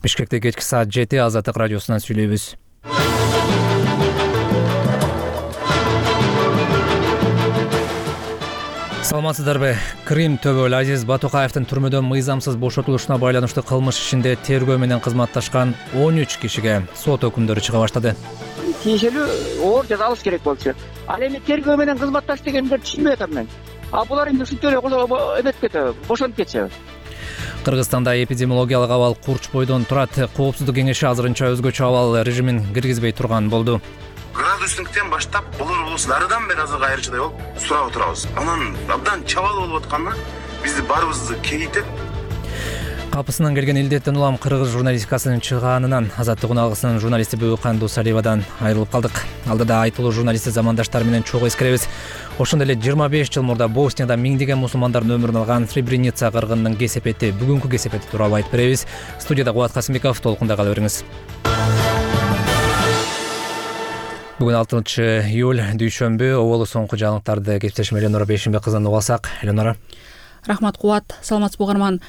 Бишкекте кечки саат 7 Азаттык радиосунан сүйлөйбүз. Саламатсыздарбы? Крим төбөл Азиз Батукаевдин түрмөдөн мыйзамсыз бошотулушуна байланыштуу кылмыш ишинде тергөө менен кызматташкан 13 кишиге сот өкүмдөрү чыга баштады. Тиешелүү оор жаза алыш керек болчу. Ал эми тергөө менен кызматташ дегендерди түшүнбөй атам мен. Булар эми ушинтип эле эметип кетеби, бошонуп кетеби. Кыргызстанда эпидемиологиялык абал курч бойдон турат. Коопсуздук кеңеши азырынча өзгөчө абал режимин киргизбей турган болду. Градустуктен баштап болор дарыдан бери азыркы айрычыдай болуп сурап отурабыз. Анан абдан чабал болуп атканда бизди баарыбызды кейитет. Капысынан келген илдеттен улам кыргыз журналистикасынын чыгаанынан Азаттык алгысынын журналисти Бөкан Дусалиевадан айрылып калдык. Алдыда айтылуу журналисти замандаштары менен чогуу эскеребиз. Ошондой эле 25 жыл мурда Боснияда миңдеген мусулмандардын өмүрүн алган Сребреница кыргынынын кесепети, бүгүнкү кесепети тууралуу айтып беребиз. Студияда Кубат Касымбеков, толкунда кала бериңиз. Бүгүн 6-июль дүйшөмбү. Оболу соңку жаңылыктарды кесиптешим Эленора Бейшимбек кызынан угуп алсак. Эленора. Рахмат Кубат, саламатсызбы угарман.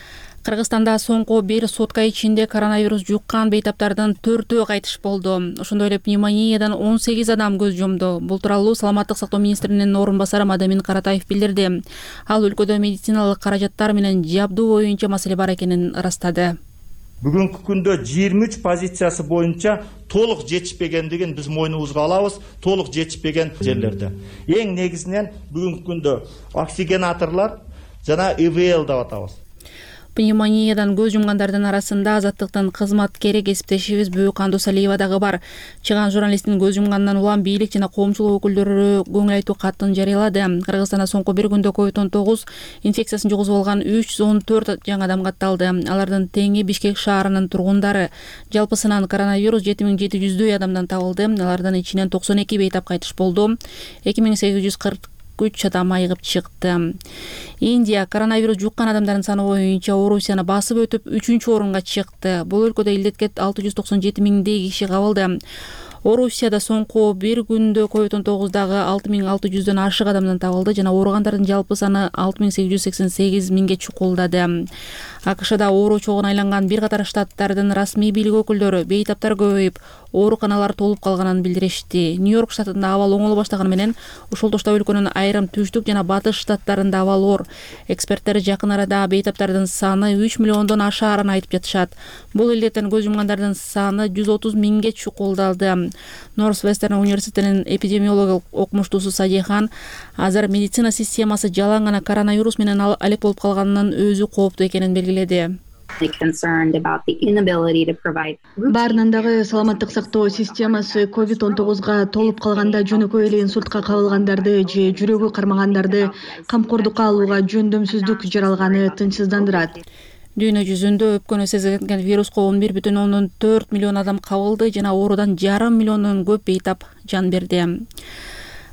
Кыргызстанда соңку бир сутка ичинде коронавирус жуккан бейтаптардын 4-өө кайтыш болду. Ошондой эле пневмониядан 18 адам көз жумду. Бул тууралуу Саламаттык сактоо министринин орун басары Мадамин Каратаев билдирди. Ал өлкөдө медициналык каражаттар менен жабдуу боюнча маселе бар экенин ырастады. Бүгүнкү күндө 23 позициясы боюнча толук жетишпегендигин биз мойнубузга алабыз. Толук жетишпеген жерлерде. Эң негизинен бүгүнкү күндө оксигенаторлор жана ИВЛ деп атабыз. Пневмониядан көз жумгандардын арасында Азаттыктын кызматкери кесиптешибиз Бөкан Дусалиева дагы бар. Чыган журналисттин көз жумганынан улам бийлик жана коомчулук өкүлдөрү көңүл айтуу катын жарыялады. Кыргызстанда соңку бир күндө COVID-19 инфекциясын жугузуп алган 314 жаңы адам катталды. Алардын теңи Бишкек шаарынын тургундары. Жалпысынан коронавирус 7700 адамдан табылды. Алардын ичинен 92 бейтап кайтыш болду. 2843 адам айыгып чыкты. Индия коронавирус жуккан адамдардын саны боюнча Орусияны басып өтүп 3-орунга чыкты. Бул өлкөдө илдетке 697 миңдей киши кабылды. Орусияда соңку бир күндө COVID-19 дагы 6600дөн ашык адамдан табылды жана ооругандардын жалпы саны 6888 миңге чукулдады. АКШда оору чогуна айланган бир катар штаттардын расмий бийлик өкүлдөрү бейтаптар көбөйүп, ооруканалар толуп калганын билдиришти. Нью-Йорк штатында абал оңоло баштаганы менен ушул тошто өлкөнүн айрым түштүк жана батыш штаттарында абал оор. Эксперттер жакын арада бейтаптардын саны 3 миллиондон ашаарын айтып жатышат. Бул илдеттен көз жумгандардын саны 130 миңге чукулдалды. Норс-Вестерн университетинин эпидемиологиялык окумуштуусу Садихан азыр медицина системасы жалаң гана коронавирус менен алек болуп калганынан өзү кооптуу экенин белгиледи. Баарынан дагы саламаттык сактоо системасы COVID-19 толуп калганда жөнөкөй эле инсультка кабылгандарды же жүрөгү кармагандарды камкордукка алууга жөндөмсүздүк жаралганы тынчсыздандырат. Дүйнө жүзүндө өпкөнү сезилген вируска 11,4 миллион адам кабылды жана оорудан 1,5 миллиондон көп бейтап жан берди.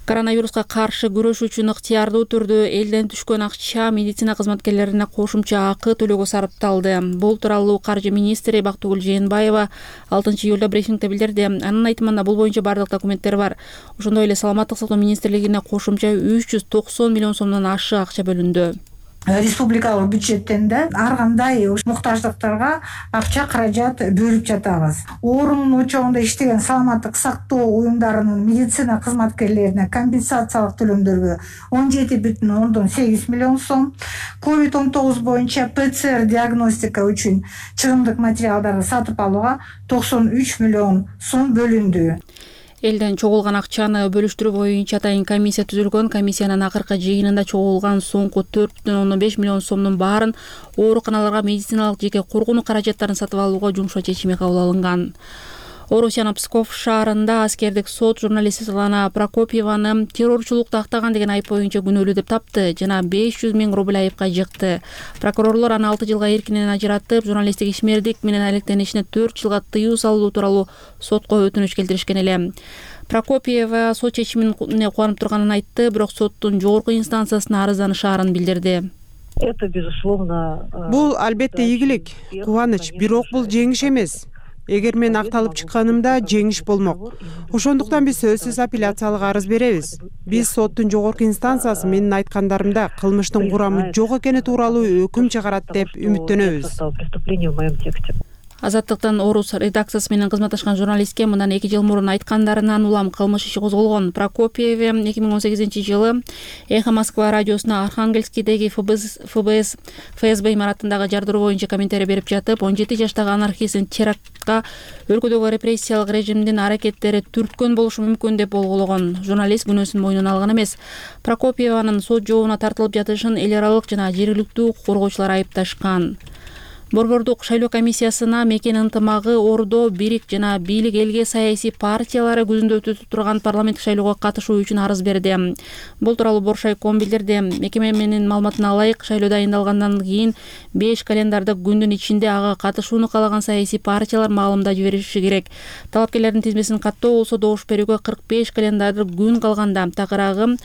Коронавируска каршы күрөш үчүн ыктыярдуу түрдө элден түшкөн акча медицина кызматкерлерине кошумча акы төлөөгө сарпталды. Бул тууралуу каржы министри Бактыгүл Жээнбаева 6-июлда брифингде билдирди. Анын айтымында бул боюнча бардык документтер бар. Ошондой эле Саламаттык сактоо министрлигине кошумча 390 миллион сомдон ашык акча бөлүндү. Республикалык бюджеттен да ар кандай муктаждыктарга акча каражат бөлүп жатабыз. Оорунун очогунда иштеген саламаттык сактоо уюмдарынын медицина кызматкерлерине компенсациялык төлөмдөргө 17,8 миллион сом, COVID-19 боюнча ПЦР диагностика үчүн чыгымдык материалдарды сатып алууга 93 миллион сом бөлүндү. Элден чогулган акчаны бөлүштүрүү боюнча атайын комиссия түзүлгөн. Комиссиянын акыркы жыйынында чогулган соңку 4,5 миллион сомдун баарын ооруканаларга медициналык жеке коргонуу каражаттарын сатып алууга жумшоо чечими кабыл алынган. Орусиянын Псков шаарында аскердик сот журналист Светлана Прокопьеваны террорчулукту актаган деген айып боюнча күнөөлүү деп тапты жана 500 миң рубль айыпка жыкты. Прокурорлор аны 6 жылга эркинен ажыратып, журналисттик ишмердик менен алектенишине 4 жылга тыюу салуу тууралуу сотко өтүнүч келтиришкен эле. Прокопьева сот чечимине кубанып турганын айтты, бирок соттун жогорку инстанциясына арызданышаарын билдирди. Бул албетте ийгилик, кубаныч, бирок бул жеңиш эмес. Эгер мен акталып чыкканымда жеңиш болмок. Ошондуктан биз сөзсүз апелляциялык арыз беребиз. Биз соттун жогорку инстанциясы менин айткандарымда кылмыштын курамы жок экени тууралуу өкүм чыгарат деп үмүттөнөбүз. Азаттыктын Орус редакциясы менен кызматташкан журналистке мындан 2 жыл мурун айткандарынан улам кылмыш иши козголгон. Прокопьев 2018-жылы Эхо Москва радиосуна Архангельскийдеги ФСБ имаратындагы жардыруу боюнча комментарий берип жатып, 17 жаштагы анархисттин терактка өлкөдөгү репрессиялык режимдин аракеттери түрткөн болушу мүмкүн деп болгоологон. Журналист күнөөсүн мойнуна алган эмес. Прокопьеванын сот жообуна тартылып жатышын эл аралык жана жергиликтүү укук коргоочулар айыпташкан. Борбордук шайлоо комиссиясына мекен ынтымагы Ордо, Бирик жана бийлик элге саясий партиялары күзүндө өтүп турган парламенттик шайлоого катышуу үчүн арыз берди. Бул тууралуу Боршайком билдирди. Мекеменин маалыматына ылайык, шайлоо дайындалгандан кийин 5 календардык күндүн ичинде ага катышууну каалаган саясий партиялар маалымда жибериши керек. Талапкерлердин тизмесин каттоо болсо добуш берүүгө 45 календардык күн калганда, такыраагы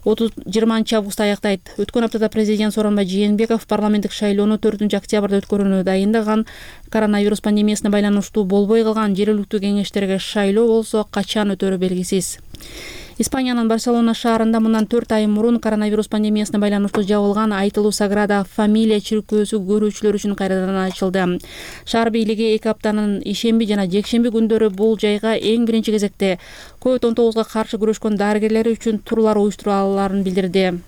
20 августта аяктайт. Өткөн аптада президент Сооронбай Жээнбеков парламенттик шайлоону 4 октябрда өткөрүүнү дайындаган. Коронавирус пандемиясына байланыштуу болбой калган жергиликтүү кеңештерге шайлоо болсо качан өтөрү белгисиз. Испаниянын Барселона шаарында мындан 4 ай мурун коронавирус пандемиясына байланыштуу жабылган айтылуу Саграда Фамилия чиркөөсү көрүүчүлөр үчүн кайрадан ачылды. Шаар бийлиги 2 аптанын ишемби жана жекшемби күндөрү бул жайга эң биринчи кезекте COVID-19 каршы күрөшкөн дарыгерлер үчүн турлар уюштураларын билдирди.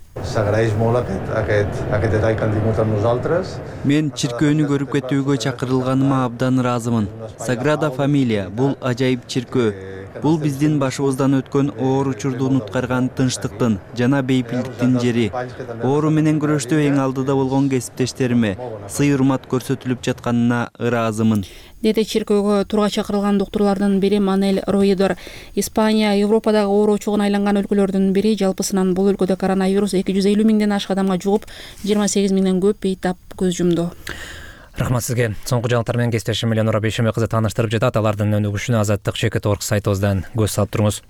Мен чиркөөнү көрүп кетүүгө чакырылганыма абдан ыраазымын. Саграда Фамилия бул ажайып чиркөө. Бул биздин башыбыздан өткөн оор учурду унуткарган тынчтыктын жана бейпилдиктин жери. Оору менен күрөштө эң алдыда болгон кесиптештериме сый урмат көрсөтүлүп жатканына ыраазымын, деди чиркөөгө турга чакырылган доктурлардын бири Манель Роедор. Испания Европадагы оору очогуна айланган өлкөлөрдүн бири. Жалпысынан бул өлкөдө коронавирус 250 миңден ашык адамга жугуп, 28 миңден көп бейтап көз жумду. Рахмат сизге. Соңку жаңылыктар менен кесиптешим Эленора Бейшембек кызы тааныштырып жатат. Алардын өнүгүшүнө Азаттык ЧК.org сайтыбыздан көз салып туруңуз.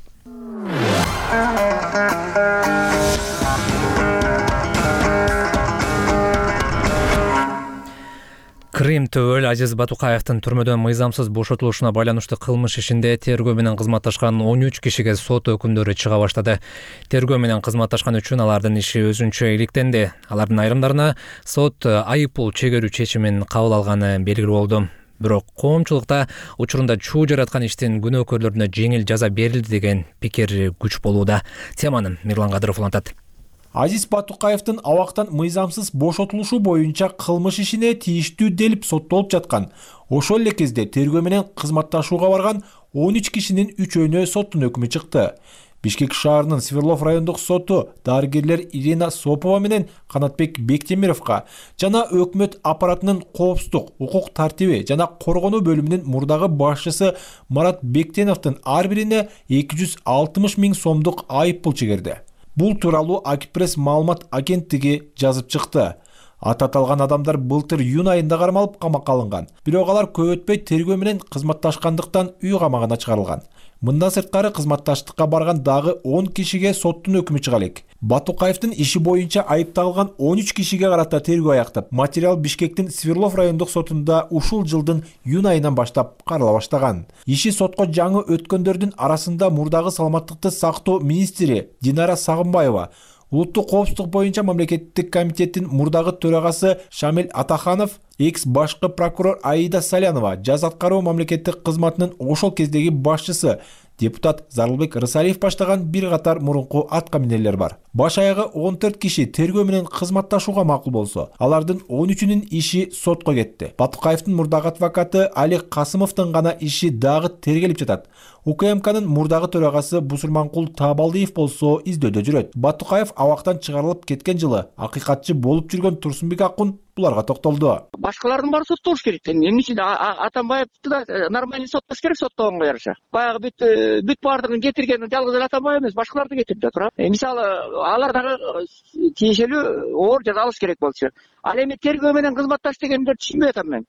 Крым Төбөл Азиз Батукаевдин түрмөдөн мыйзамсыз бошотулушуна байланыштуу кылмыш ишинде тергөө менен кызматташкан 13 кишиге сот өкүмдөрү чыга баштады. Тергөө менен кызматташкан үчүн алардын иши өзүнчө иликтенди. Алардын айрымдарына сот айып пул чегерүү чечимин кабыл алганы белгилүү болду. Бирок коомчулукта учурунда чуу жараткан иштин күнөөкөрлөрүнө жеңил жаза берилди деген пикир күч болууда. Теманы Мирлан Кадыров улантат. Азиз Батукаевдин абактан мыйзамсыз бошотулушу боюнча кылмыш ишине тийиштүү делип соттолуп жаткан. Ошол эле кезде тергөө менен кызматташууга барган 13 кишинин үчөөнө соттун өкүмү чыкты. Бишкек шаарынын Свердлов райондук соту дарыгерлер Ирина Сопова менен Канатбек Бектемировго жана өкмөт аппаратынын коопсуздук, укук тартиби жана коргонуу бөлүмүнүн мурдагы башчысы Марат Бектеновдун ар бирине 260 миң сомдук айып пул чегерди. Бул тууралуу Акипресс маалымат агенттиги жазып чыкты. Аталган адамдар былтыр июнь айында кармалып камакка алынган. Бирок алар көп өтпөй тергөө менен кызматташкандыктан үй камагына чыгарылган. Мындан сырткары кызматташтыкка барган дагы 10 кишиге соттун өкүмү чыга элек. Батукаевдин иши боюнча айыпталган 13 кишиге карата тергөө аяктап, материал Бишкектин Свердлов райондук сотунда ушул жылдын июнь айынан баштап карала баштаган. Иши сотко жаңы өткөндөрдүн арасында мурдагы саламаттыкты сактоо министри Динара Сагынбаева, улуттук коопсуздук боюнча мамлекеттик комитеттин мурдагы төрагасы Шамил Атаханов, экс башкы прокурор Аида Салянова, жаз аткаруу мамлекеттик кызматынын ошол кездеги башчысы депутат Зарылбек Рысалиев баштаган бир катар мурунку атка минерлер бар. Баш аягы 14 киши тергөө менен кызматташууга макул болсо, алардын 13-үнүн иши сотко кетти. Батукаевдин мурдагы адвокаты Али Касымовдун гана иши дагы тергелип жатат. УКМКнын мурдагы төрагасы Бусурманкул Табалдиев болсо издөдө жүрөт. Батукаев абактан чыгарылып кеткен жылы акыйкатчы болуп жүргөн Турсунбек Акун буларга токтолду. Башкалардын баары соттолуш керек. Эмне үчүн Атамбаевди да нормальный соттош керек, соттогонго жараша. Баягы бүт баардыгын кетирген жалгыз эле Атамбаев эмес, башкаларды кетирип жатыр. Мисалы, алар дагы тиешелүү оор жаза алыш керек болчу. Ал эми тергөө менен кызматташ дегендерди түшүнбөй атам мен.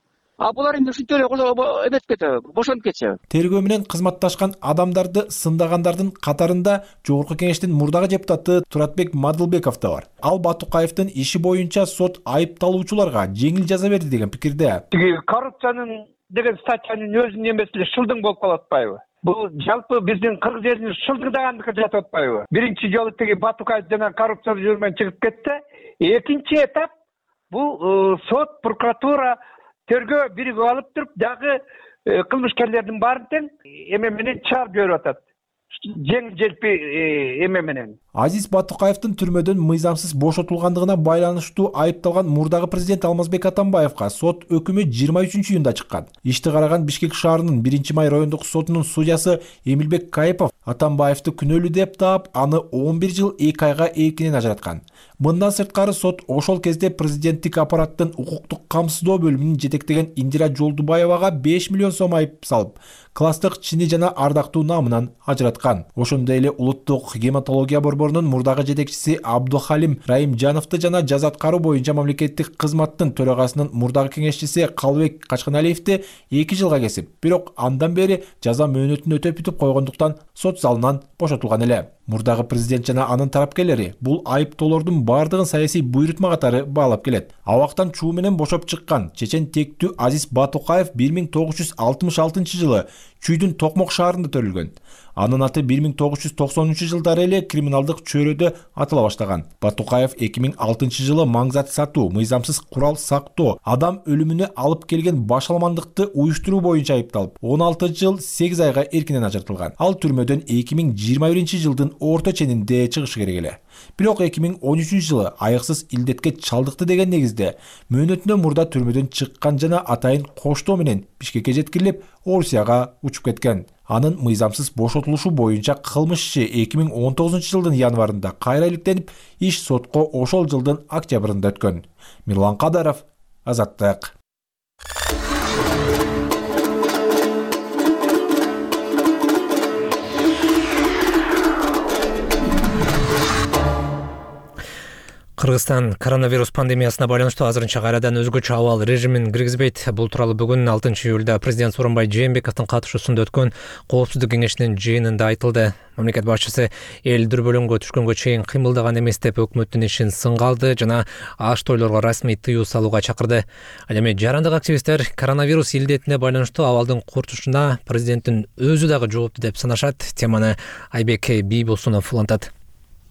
Булар эмне ушинтип эле эметип кетеби, бошонуп кетсе. Тергөө менен кызматташкан адамдарды сындагандардын катарында Жогорку кеңештин мурдагы депутаты Туратбек Мадылбеков да бар. Ал Батукаевдин иши боюнча сот айыпталуучуларга жеңил жаза берди деген пикирде. Коррупциянын деген статьянын өзүнүн эмеси эле шылдың болуп калып атпайбы? Бул жалпы биздин кыргыз элинин шылдыңдагандыкы жатып атпайбы? Биринчи жолу теги Батукаев жана коррупция жүрмөн чыгып кетти. Экинчи этап бул сот, прокуратура тергөө биригип алып туруп дагы кылмышкерлердин баарын тең эме менен чыгарып жиберип атат. Жеңил желпи эме менен. Азиз Батукаевдин түрмөдөн мыйзамсыз бошотулгандыгына байланыштуу айыпталган мурдагы президент Алмазбек Атамбаевга сот өкүмү 23-июнда чыккан. Ишти караган Бишкек шаарынын 1-май райондук сотунун судьясы Эмилбек Кайыпов Атамбаевди күнөөлүү деп таап, аны 11 жыл 2 айга эркинен ажыраткан. Мындан сырткары сот ошол кезде президенттик аппараттын укуктук камсыздоо бөлүмүнүн жетектеген Индира Жолдубаевага 5 миллион сом айып салып, класстык чини жана ардактуу намынан ажыраткан. Ошондой эле улуттук гематология борборунун мурдагы жетекчиси Абдухалим Раимжановду жана жаза аткаруу боюнча мамлекеттик кызматтын төрагасынын мурдагы кеңешчиси Калыбек Качканалиевди 2 жылга кесип, бирок андан бери жаза мөөнөтүн өтөп бүтүп койгондуктан сот залынан бошотулган эле. Мурдагы президент жана анын тарапкерлери бул айыптоолордун бардыгын саясий буйрутма катары баалап келет. Абактан чуу менен бошоп чыккан чечен тектүү Азиз Батукаев 1966 жылы Чүйдүн Токмок шаарында төрүлгөн. Анын аты 1990 жылдары эле криминалдык чөйрөдө атыла баштаган. Батукаев 2006 жылы маңзат сатуу, мыйзамсыз курал сактоо, адам өлүмүнө алып келген башаламандыкты уюштуруу боюнча айыпталып, 16 жыл 8 айга эркинен ажыртылган. Ал түрмөдөн 2021 жылдын орто ченинде чыгышы керек эле. Бирок 2013 жылы айыксыз илдетке чалдыкты деген негизде мөөнөтүнө мурда түрмөдөн чыккан жана атайын коштоо менен Бишкекке жеткирилип, Орусияга учуп кеткен. Анын мыйзамсыз бошотулушу боюнча кылмыш иши 2019 жылдын январында кайра иликтенип, иш сотко ошол жылдын октябрында өткөн. Мирлан Кадаров, Азаттык. Кыргызстан коронавирус пандемиясына байланыштуу азырынча кайрадан өзгөчө абал режимин киргизбейт. Бул тууралуу бүгүн 6-июлда президент Сооронбай Жээнбековдун катышуусунда өткөн Коопсуздук кеңешинин жыйынында айтылды. Мамлекет башчысы эл дүрбөлөңгө түшкөнгө чейин кыймылдаган эмес деп өкмөттүн ишин сынга алды жана аш тойлорго расмий тыюу салууга чакырды. Ал эми жарандык активисттер коронавирус илдетине байланыштуу абалдын куртушуна президенттин өзү дагы жоопту деп санашат. Теманы Айбек Бийбосунов улантат.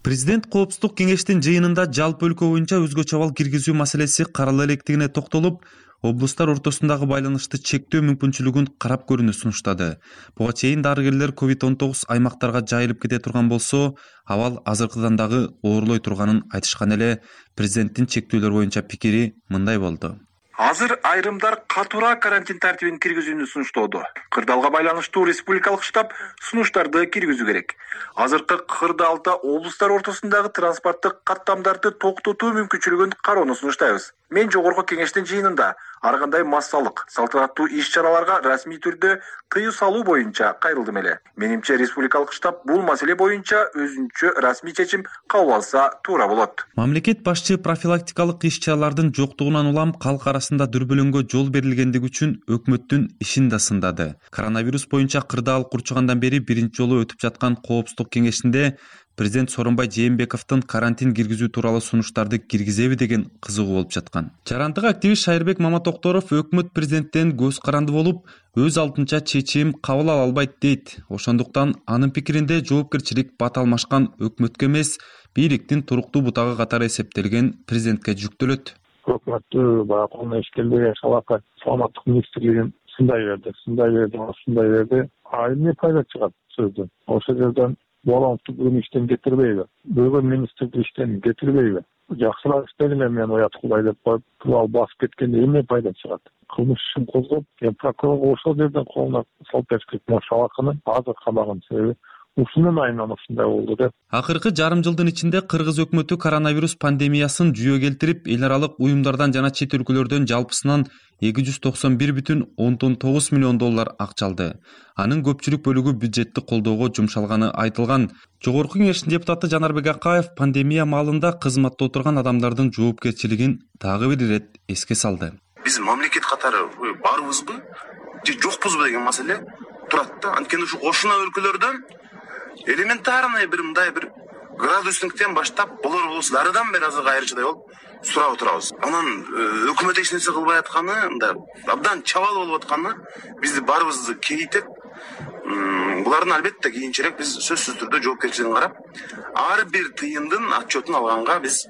Президент Коопсуздук кеңештин жыйынында жалпы өлкө боюнча өзгөчө абал киргизүү маселеси карала электигине токтолуп, облустар ортосундагы байланышты чектөө мүмкүнчүлүгүн карап көрүүнү сунуштады. Буга чейин дарыгерлер COVID-19 аймактарга жайылып кете турган болсо, абал азыркыдан дагы оорлой турганын айтышкан эле. Президенттин чектөөлөр боюнча пикири мындай болду. Азыр айрымдар катуураак карантин тартибин киргизүүнү сунуштоодо. Кырдаалга байланыштуу республикалык штаб сунуштарды киргизүү керек. Азыркы кырдаалда облустар ортосундагы транспорттук каттамдарды токтотуу мүмкүнчүлүгүн кароону сунуштайбыз. Мен жогорку кеңештин жыйынында ар кандай массалык, салтанаттуу иш-чараларга расмий түрдө тыюу салуу боюнча кайрылдым эле. Менимче республикалык штаб бул маселе боюнча өзүнчө расмий чечим кабыл алса туура болот. Мамлекет башчы профилактикалык иш-чаралардын жоктугунан улам калк арасында дүрбөлөңгө жол берилгендиги үчүн өкмөттүн ишин да сындады. Коронавирус боюнча кырдаал курчугандан бери биринчи жолу өтүп жаткан Коопсуздук кеңешинде президент Сооронбай Жээнбековдун карантин киргизүү тууралуу сунуштарды киргизеби деген кызыгуу болуп жаткан. Жарандык активист Шайырбек Маматокторов өкмөт президенттен көз каранды болуп, өз алдынча чечим кабыл ала албайт дейт. Ошондуктан анын пикиринде жоопкерчилик бата алмашкан өкмөткө эмес, бийликтин туруктуу бутагы катары эсептелген президентке жүктөлөт. Өкмөттү баягы колуна иш келбеген шалака саламаттык министрлигин сындай берди. А эмне пайда чыгат сөздөн? Ошол жерден Болоңду бүгүн иштен кетирбейби? Бөгөн министрди иштен кетирбейби? Жакшыраак иштегиле мен оят кылбай деп коюп, туурал басып кеткенде эмне пайда чыгат? Кылмыш ишин козгоп, прокурор ошол жерден колуна салып беришкен шалаканы азыр кабаган себеби ушунун айынан ушундай болду деп. Акыркы жарым жылдын ичинде кыргыз өкмөтү коронавирус пандемиясын жүйө келтирип, эл аралык уюмдардан жана чет өлкөлөрдөн жалпысынан 291,9 миллион доллар акча алды. Анын көпчүлүк бөлүгү бюджеттик колдоого жумшалганы айтылган. Жогорку кеңештин депутаты Жанарбек Акаев пандемия маалында кызматта отурган адамдардын жоопкерчилигин дагы бир ирет эске салды. Биз мамлекет катары барбызбы же жокпузбу деген маселе турат да. Анткени ушу кошуна өлкөлөрдөн элементарный бир мындай бир градусниктен баштап болор болсо дарыдан бери азыр кайрычыдай болуп сурап отурабыз. Анан өкмөт эч нерсе кылбай атканы, мындай абдан чабал болуп атканы бизди барыбызды кейитет. Булардын албетте кийинчерээк биз сөзсүз түрдө жоопкерчилигин карап, ар бир тыйындын отчетун алганга биз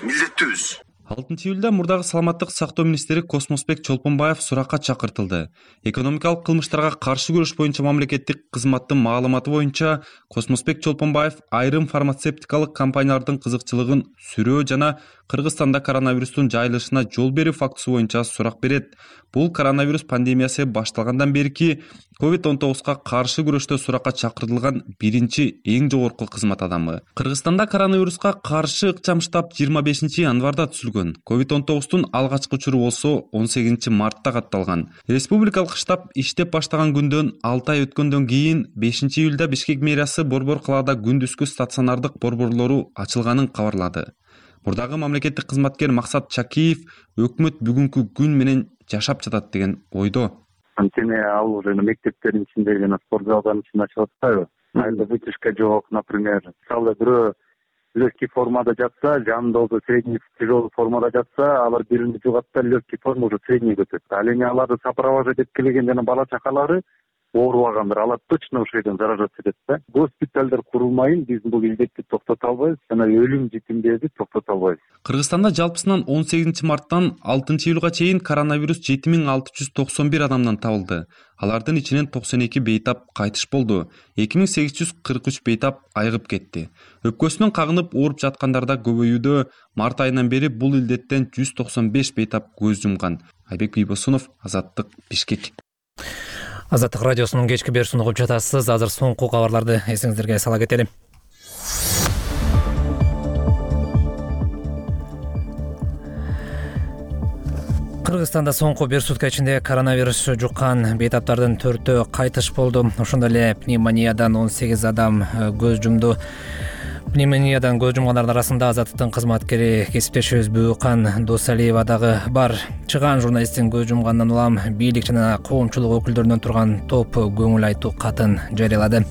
милдеттүүбүз. 6-июлда мурдагы саламаттык сактоо министри Космосбек Чолпонбаев суракка чакыртылды. Экономикалык кылмыштарга каршы күрөш боюнча мамлекеттик кызматтын маалыматы боюнча Космосбек Чолпонбаев айрым фармацевтикалык компаниялардын кызыкчылыгын сүрөө жана Кыргызстанда коронавирустун жайылышына жол берүү фактысы боюнча сурак берет. Бул коронавирус пандемиясы башталгандан берки COVID-19 каршы күрөштө суракка чакыртылган биринчи эң жогорку кызмат адамы. Кыргызстанда коронавируска каршы ыкчам штаб 25 январда түзүлгөн. COVID-19-тун алгачкы учуру болсо 18 мартта катталган. Республикалык штаб иштеп баштаган күндөн 6 ай өткөндөн кийин 5 июлда Бишкек мэриясы Борбор калаада күндүзгү стационардык борборлору ачылганын кабарлады. Мурдагы мамлекеттик кызматкер Максат Чакиев өкмөт бүгүнкү күн менен жашап жатат деген ойдо. Анткени ал уже мектептердин ичинде жана спорт залдардын ичинде ачып атпайбы? Айда вытяжка жок, например. Мисалы бирөө легкий формада жатса, жанында болсо средний тяжелый формада жатса, алар биrini жугат да легкий форма уже средний көтөрөт. Ал эми аларды сопровождать этип келген жана бала чакалары оорубагандар, алар точно ошол жерден заражаться этет да. Госпиталдар курулмайын биз бул илдетти токтото албайбыз жана өлүм житимдерди токтото албайбыз. Кыргызстанда жалпысынан 18 марттан 6 июлга чейин коронавирус 7691 адамдан табылды. Алардын ичинен 92 бейтап кайтыш болду. 2843 бейтап айыгып кетти. Өпкөсүнөн кагынып ооруп жаткандар да көбөйүүдө. Март айынан бери бул илдеттен 195 бейтап көз жумган. Айбек Бийбосунов, Азаттык, Бишкек. Азаттык радиосунун кечки берүүсүн угуп жатасыз. Азыр соңку кабарларды эсиңиздерге сала кетели. Кыргызстанда соңку бир сутка ичинде коронавирус жуккан бейтаптардын 4-өө кайтыш болду. Ошондой эле пневмониядан 18 адам көз жумду. Пневмониядан көз жумгандардын арасында Азаттыктын кызматкери кесиптешибиз Бүүкан Досалиева дагы бар. Чыган журналисттин көз жумгандан улам бийлик жана коомчулук өкүлдөрүнөн турган топ көңүл айтуу катын жарыялады.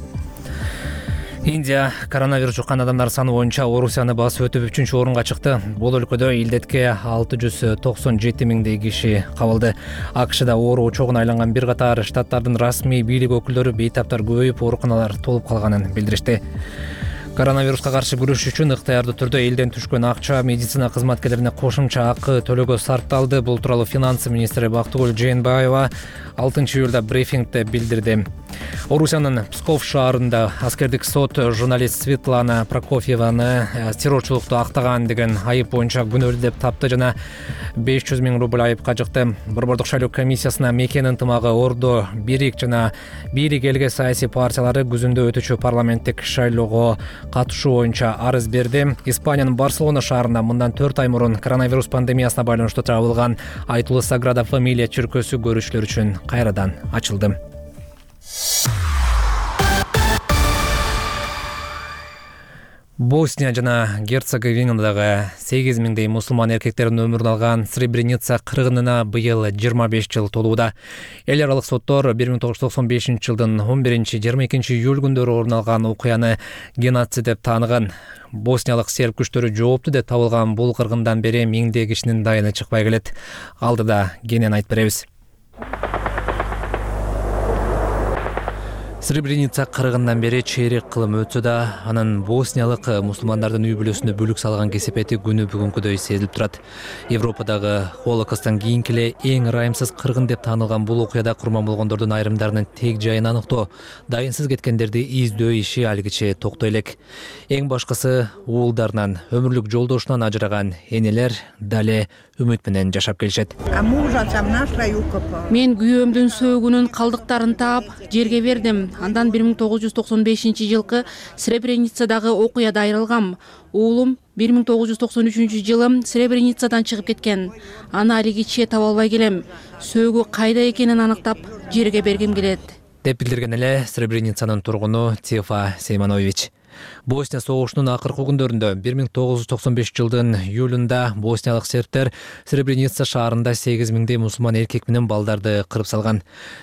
Индия коронавирус жуккан адамдар саны боюнча Орусияны басып өтүп 3-орунга чыкты. Бул өлкөдө илдетке 697 миңдей киши кабылды. АКШда оору чогуна айланган бир катар штаттардын расмий бийлик өкүлдөрү бейтаптар көбөйүп, ооруканалар толуп калганын билдиришти. Коронавируска каршы күрөш үчүн ыктыярдуу түрдө элден түшкөн акча медицина кызматкерлерине кошумча акы төлөөгө сарпталды. Бул тууралуу финансы министри Бактыгүл Жээнбаева 6 июлда брифингде билдирди. Орусиянын Псков шаарында аскердик сот журналист Светлана Прокофьеваны террорчулукту актаган деген айып боюнча күнөөлүү деп тапты жана 500 миң рубль айыпка жыкты. Борбордук шайлоо комиссиясына мекен ынтымагы, Ордо, Бирик жана бийлик элге саясий партиялары күзүндө өтүүчү парламенттик шайлоого катышуу боюнча арыз берди. Испаниянын Барселона шаарында мындан 4 ай мурун коронавирус пандемиясына байланыштуу жабылган айтылуу Саграда Фамилия чиркөөсү көрүүчүлөр үчүн кайрадан ачылды. Босния жана Герцеговинадагы 8 миңдей мусулман эркектердин өмүрүн алган Сребреница кыргынына быйыл 25 жыл толууда. Эл аралык соттор 1995 жылдын 11-22 июль күндөрү орун алган окуяны геноцид деп тааныган. Босниялык серб күчтөрү жооптуу деп табылган бул кыргындан бери миңдей кишинин дайыны чыкпай келет. Алдыда кенен айтып беребиз. Сребреница кыргындан бери чейрек кылым өтсө да, анын босниялык мусулмандардын үй бүлөсүнө бүлүк салган кесепети күнү бүгүнкүдөй сезилип турат. Европадагы Холокосттон кийинки эле эң ырайымсыз кыргын деп таанылган бул окуяда курман болгондордун айрымдарынын тег жайын аныктоо, дайынсыз кеткендерди издөө иши алгыче токтой элек. Эң башкысы уулдарынан, өмүрлүк жолдошунан ажыраган энелер дале үмүт менен жашап келишет. Мен күйөөмдүн сөөгүнүн калдыктарын таап, жерге бердим. Андан 1995 жылкы Сребреницадагы окуяда айрылгам. Уулум 1993 жылы Сребреницадан чыгып кеткен. Аны алигиче таба албай келем. Сөөгү кайда экенин анықтап, жерге бергим келет. Деп билдирген эле Сребреницанын тургуну Тефа Сейманович. Босния согушунун акыркы күндөрүндө 1995 жылдын июлунда босниялык сербтер Сребреница шаарында 8 миңдей мусулман эркек менен балдарды кырып салган.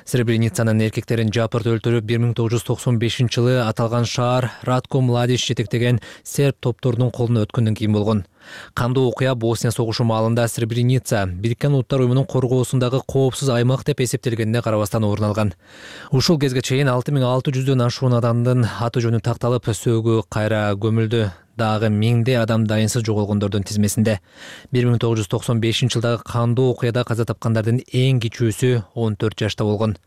Сребреницанын эркектерин жапырт өлтүрүп 1995 жылы аталган шаар Ратко Младич жетектеген серб топторунун колуна өткөндөн кийин болгон. Кандуу окуя Босния согушу маалында Сребреница Бириккен Улуттар уюмунун коргоосундагы коопсуз аймак деп эсептелгенине карабастан орун алган. Ушул кезге чейин 6600дөн ашуун адамдын аты жөнү такталып, сөөгү кайра көмүлдү. дагы миңдей адам дайынсыз жоголгондордун тизмесинде. 1995 жылдагы кандуу окуяда каза тапкандардын эң кичүүсү 14 жашта болгон.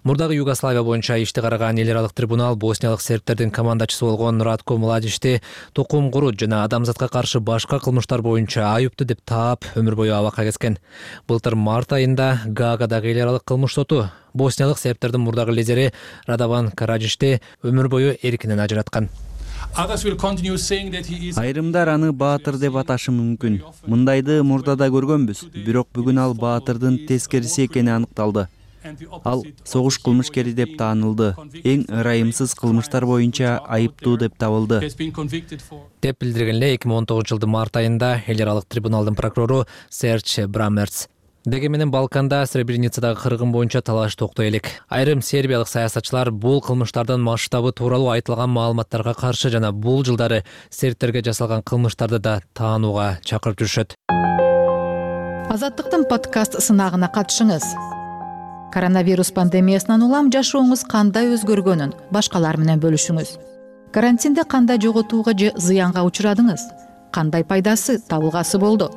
Мурдагы Югославия боюнча ишти караган эл аралык трибунал боснялык сербтердин командачысы болгон Ратко Младичти тукум курут жана адамзатка каршы башка кылмыштар боюнча айыптуу деп таап өмүр бою абакка кеткен. Былтыр март айында Гаагадагы эл аралык кылмыш соту боснялык сербтердин мурдагы лидери Радован Караджишти өмүр бою эркинен ажыраткан. Айрымдар аны баатыр деп аташы мүмкүн. Мындайды мурдада көргөнбүз, бирок бүгүн ал баатырдын тескериси экени аныкталды. Ал согуш кылмышкери деп таанылды. Эң ырайымсыз кылмыштар боюнча айыптуу деп табылды. Деп билдирген эле 2019 жылдын март айында эл аралык трибуналдын прокурору Серч Брамерц. Дегенменен Балканда Сребреницадагы кыргын боюнча талаш токтой элек. Айрым сербиялык саясатчылар бул кылмыштардын масштабы тууралуу айтылган маалыматтарга каршы жана бул жылдары сербтерге жасалган кылмыштарды да таанууга чакырып жүрүшөт. Азаттыктын подкаст сынагына катышыңыз. Коронавирус пандемиясынан улам жашооңуз кандай өзгөргөнүн башкалар менен бөлүшүңүз. Карантинде кандай жоготууга же зыянга учурадыңыз? Кандай пайдасы, табылгасы болду?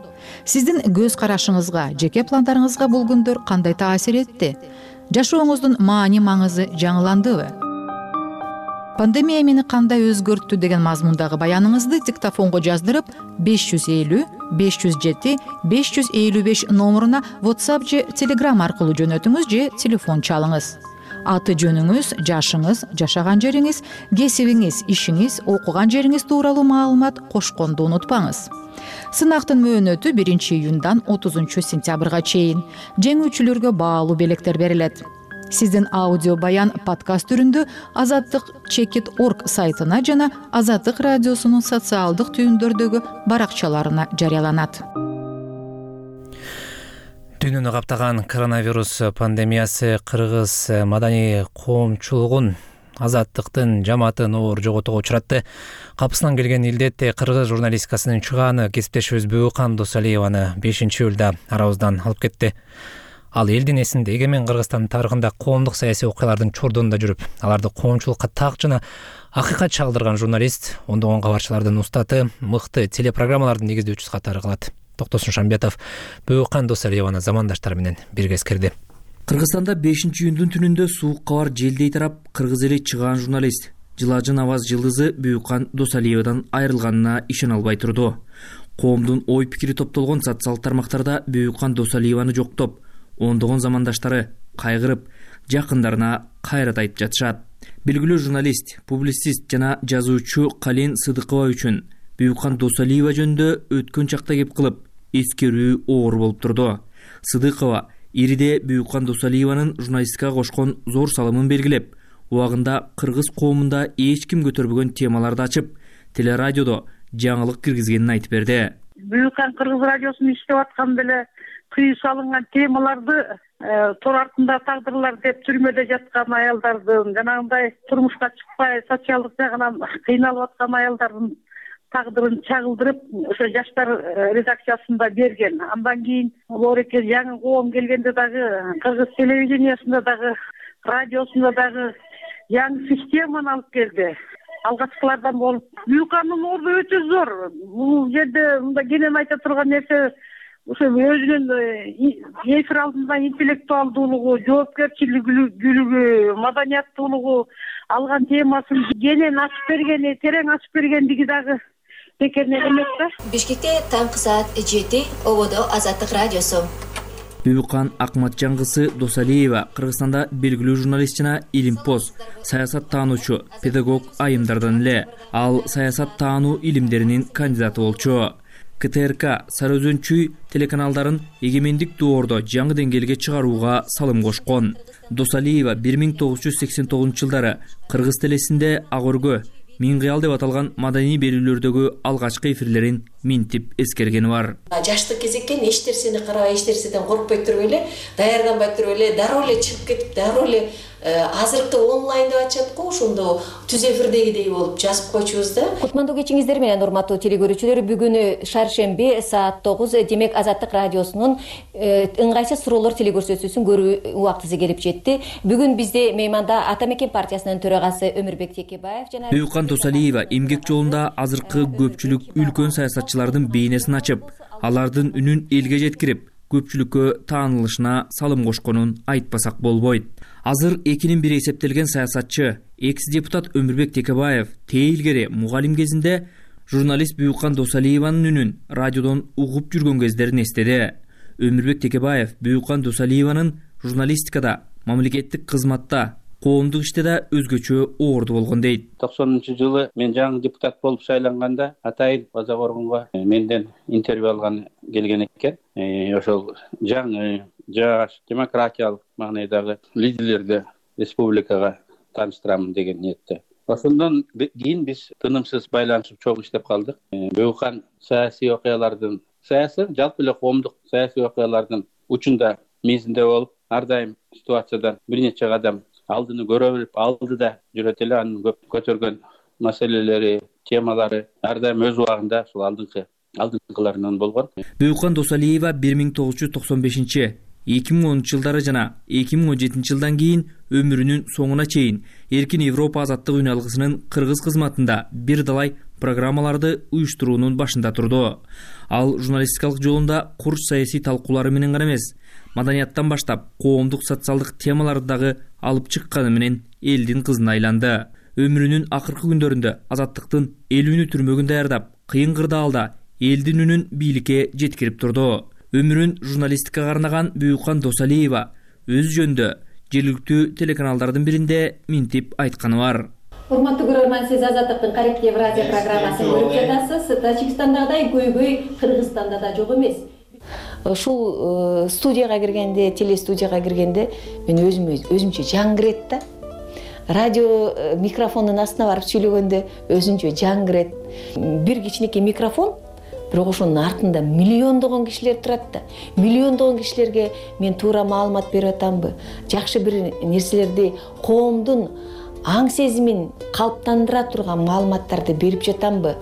Сиздин көз карашыңызга, жеке пландарыңызга бул күндөр кандай таасир этти? Жашооңуздун маани-маңызы жаңыландыбы? Пандемия мени кандай өзгөрттү деген мазмундагы баяныңызды диктофонго жаздырып 550 507 555 номуруна WhatsApp же Telegram аркылуу жөнөтүңүз же телефон чалыңыз. Аты жөнүңүз, жашыңыз, жашаган жериңиз, кесибиңиз, ишиңиз, окуган жериңиз тууралуу маалымат кошконду унутпаңыз. Сынактын мөөнөтү 1-июндан 30-сентябрга чейин. Жеңүүчүлөргө баалуу белектер берилет. Сиздин аудио баян подкаст түрүндө azattik.org сайтына жана Азаттык радиосунун социалдык түйүндөрдөгү баракчаларына жарыяланат. Дүйнөнү каптаган коронавирус пандемиясы кыргыз маданий коомчулугун, азаттыктын жамаатын оор жоготууга учуратты. Капысынан келген илдет кыргыз журналистикасынын чыгааны кесиптешибиз Бөөкан Досалиеваны 5-июлда арабыздан алып кетти. Ал элдин эсинде эгемен Кыргызстандын тарыхында коомдук саясий окуялардын чордонунда жүрүп, аларды коомчулукка так жана акыйкат чагдырган журналист, ондогон кабарчылардын устаты, мыкты телепрограммалардын негиздөөчүсү катары калат. Токтосун Шамбетов Бөөкан Досалиеваны замандаштары менен бирге эскерди. Кыргызстанда 5-июндун түнүндө суук кабар желдей тарап, кыргыз эли чыгаан журналист, жылажын аваз жылдызы Бөөкан Досалиевадан айрылганына ишене албай турду. Коомдун ой пикири топтолгон социалдык тармактарда Бөөкан Досалиеваны жоктоп, ондогон замандаштары кайгырып, жакындарына кайрат айтып жатышат. Белгилүү журналист, публицист жана жазуучу Калин Сыдыкова үчүн Бөөкан Досалиева жөнүндө өткөн чакта кеп кылып, эскерүү оор болуп турду. Сыдыкова ириде Бөөкан Досалиеванын журналистикага кошкон зор салымын белгилеп, убагында кыргыз коомунда эч ким көтөрбөгөн темаларды ачып, телерадиодо жаңылык киргизгенин айтып берди. Бөөкан кыргыз радиосунун иштеп атканда эле тыюу салынган темаларды тор артында тагдырлар деп түрмөдө жаткан аялдардын, жанагындай турмушка чыкпай социалдык жагынан кыйналып аткан аялдардын тагдырын чагылдырып, ошо жаштар редакциясында берген. Андан кийин Лореке жаңы коом келгенде дагы кыргыз телевидениясында дагы, радиосунда дагы жаңы системаны алып келди. Алгачкылардан болуп, Бөөкандын орду өтө зор. Бул жерде мындай кенен айта турган нерсе, ошо өзүнүн эфир алдында интеллектуалдуулугу, жоопкерчиликтүүлүгү, маданияттуулугу, алган темасын кенен ачып бергени, терең ачып бергендиги дагы бекер эмес да. Бишкекте таңкы саат 7 ободо Азаттык радиосу. Бөөкан Акматжангысы Досалиева Кыргызстанда белгилүү журналист жана илимпоз, саясат таануучу, педагог айымдардан эле. Ал саясат таануу илимдеринин кандидаты болчу. КТРК Сарыөзөнчүй телеканалдарын эгемендик доордо жаңы деңгээлге чыгарууга салым кошкон. Досалиева 1989 жылдары Кыргыз телесинде Ак өргө, Миң кыял деп аталган маданий берүүлөрдөгү алгачкы эфирлерин минтип эскергени бар. Жаштык кезекке эч нерсени карабай, эч нерседен коркпой туруп эле, даярданбай туруп эле дароо эле чыгып кетип, дароо эле азыркы онлайн деп атышат го, ошондо түз эфирдегидей болуп жазып койчубуз да. Кутмандуу кечиңиздер менен урматтуу телекөрүүчүлөр, бүгүнү шаршемби саат 9, демек Азаттык радиосунун ыңгайсыз суроолор телекөрсөтүүсүн көрүү убактысы келип жетти. Бүгүн бизде мейманда Ата Мекен партиясынын төрагасы Өмүрбек Текебаев жана Бүйүкан Досалиева эмгек жолунда азыркы көпчүлүк үлкөн саясатчылардын бейнесин ачып, алардын үнүн элге жеткирип, көпчүлүккө таанылышына салым кошконун айтпасак болбойт. Азыр 2-1 эсептелген саясатчы, экс-депутат Өмүрбек Текебаев тээ илгери мугалим кезинде журналист Бүйүкан Досалиеванын үнүн радиодон угуп жүргөн кездерин эстеди. Өмүрбек Текебаев Бүйүкан Досалиеванын журналистикада, мамлекеттик кызматта, коомдук иште да өзгөчө оорду болгон дейт. 90-жылы мен жаңы депутат болуп шайланганда атайын База Коргонго менден интервью алган келген экен. Ошол жаңы жаш демократиялык маанайдагы лидерлерди республикага тааныштырамын деген ниетте. Ошондон кийин биз тынымсыз байланышып чогуу иштеп калдык. Бүйүкан саясий окуялардын, жалпы эле коомдук саясий окуялардын учунда, мизинде болуп, ар дайым ситуациядан бир нече кадам алдыны көрө билип, алдыда жүрөт эле. Анын көп көтөргөн маселелери, темалары ар дайым өз убагында ушул алдыңкыларынан болгон. Бүйүкан Досалиева 1995-2010 жылдары жана 2017 жылдан кийин өмүрүнүн соңуна чейин Эркин Европа азаттык үн алгысынын кыргыз кызматында бир далай программаларды уюштуруунун башында турду. Ал журналистикалык жолунда курч саясий талкуулары менен гана эмес, маданияттан баштап коомдук социалдык темаларды дагы алып чыкканы менен элдин кызына айланды. Өмүрүнүн акыркы күндөрүндө азаттыктын эл үнү түрмөгүн даярдап, кыйын кырдаалда элдин үнүн бийликке жеткирип турду. Өмүрүн журналистикага арнаган Бүйүкан Досалиева өз жөнүндө жергиликтүү телеканалдардын биринде минтип айтканы бар. Урматтуу көрөрман, сиз Азаттыктын Кариб Евразия программасын көрүп жатасыз. Тажикстандагыдай көйгөй Кыргызстанда да жок эмес. Ушул студияга киргенде, телестудияга киргенде мен өзүмчө жаңгырет да. Радио микрофондун астына барып сүйлөгөндө өзүнчө жаңгырет. Бир кичинекей микрофон, бирок ошонун артында миллиондогон кишилер турат да. Миллиондогон кишилерге мен туура маалымат берип атамбы? Жакшы бир нерселерди, коомдун аң сезимин калыптандыра турган маалыматтарды берип жатамбы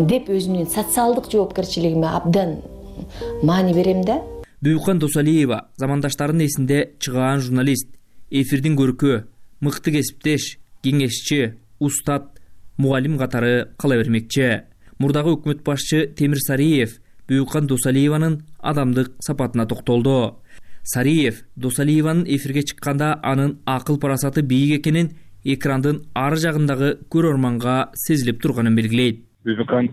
деп өзүмдүн социалдык жоопкерчилигиме абдан маани берем да. Бүйүкан Досалиева замандаштарынын эсинде чыгаан журналист, эфирдин көркү, мыкты кесиптеш, кеңешчи, устат, мугалим катары кала бермекчи. Мурдагы өкмөт башчы Темир Сариев Бүйүкан Досалиеванын адамдык сапатына токтолду. Сариев Досалиеванын эфирге чыкканда анын акыл парасаты бийик экенин экрандын ар жагындагы көрөрманга сезилип турганын белгилейт. Бүйүкан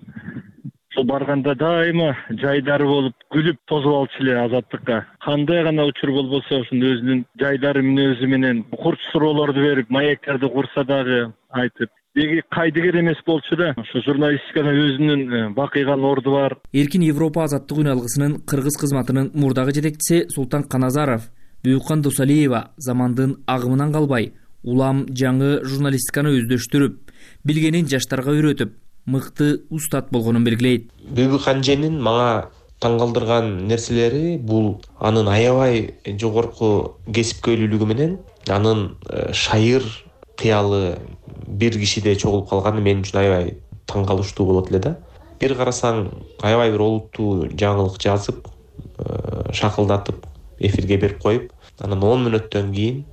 барганда дайыма жайдары болуп, күлүп тосуп алчу эле азаттыкка. Кандай гана учур болбосо ошонун өзүнүн жайдары мүнөзү менен курч суроолорду берип, маектерди курса дагы айтып, деги кайдыгер эмес болчу да. Ошо журналистикада өзүнүн бакыйган орду бар. Эркин Европа азаттык үн алгысынын кыргыз кызматынын мурдагы жетекчиси Султан Каназаров Бүйүкан Досалиева замандын агымынан калбай, улам жаңы журналистиканы өздөштүрүп, билгенин жаштарга үйрөтүп, мыкты устат болгонун белгилейт. Бүйүкан женин мага таң калтырган нерселери бул анын аябай жогорку кесипкөйлүүлүгү менен анын шайыр кыялы бир кишиде чогулуп калганы мен үчүн аябай таң калыштуу болот эле да. Бир карасаң аябай бир олуттуу жаңылык жазып, шакылдатып эфирге берип коюп, анан 10 мүнөттөн кийин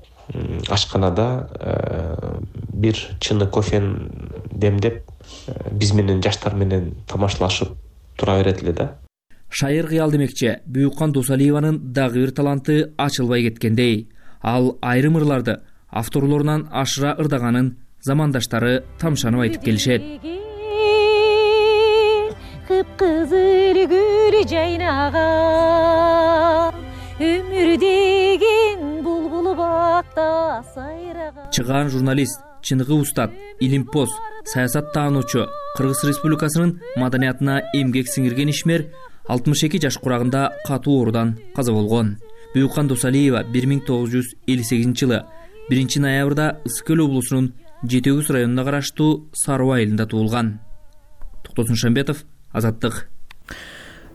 ашканада бир чыны кофени демдеп биз менен жаштар менен тамашалашып тура берет эле да. Шайыр кыял демекчи Бүйүкан Досалиеванын дагы бир таланты ачылбай кеткендей. Ал айрым ырларды авторлорунан ашыра ырдаганын замандаштары тамшанып айтып келишет. Кыпкызыл гүл жайнаган өмүр деген булбул бакта сайраган. Чыгаан журналист, чыныгы устат, илимпоз, саясат таануучу, Кыргыз Республикасынын маданиятына эмгек сиңирген ишмер 62 жаш курагында катуу оорудан каза болгон. Бүйүкан Досалиева 1958 жылы 1 ноябрда Ысык Көл облусунун Жетегүз районуна караштуу Саруу айылында туулган. Токтосун Шамбетов, Азаттык,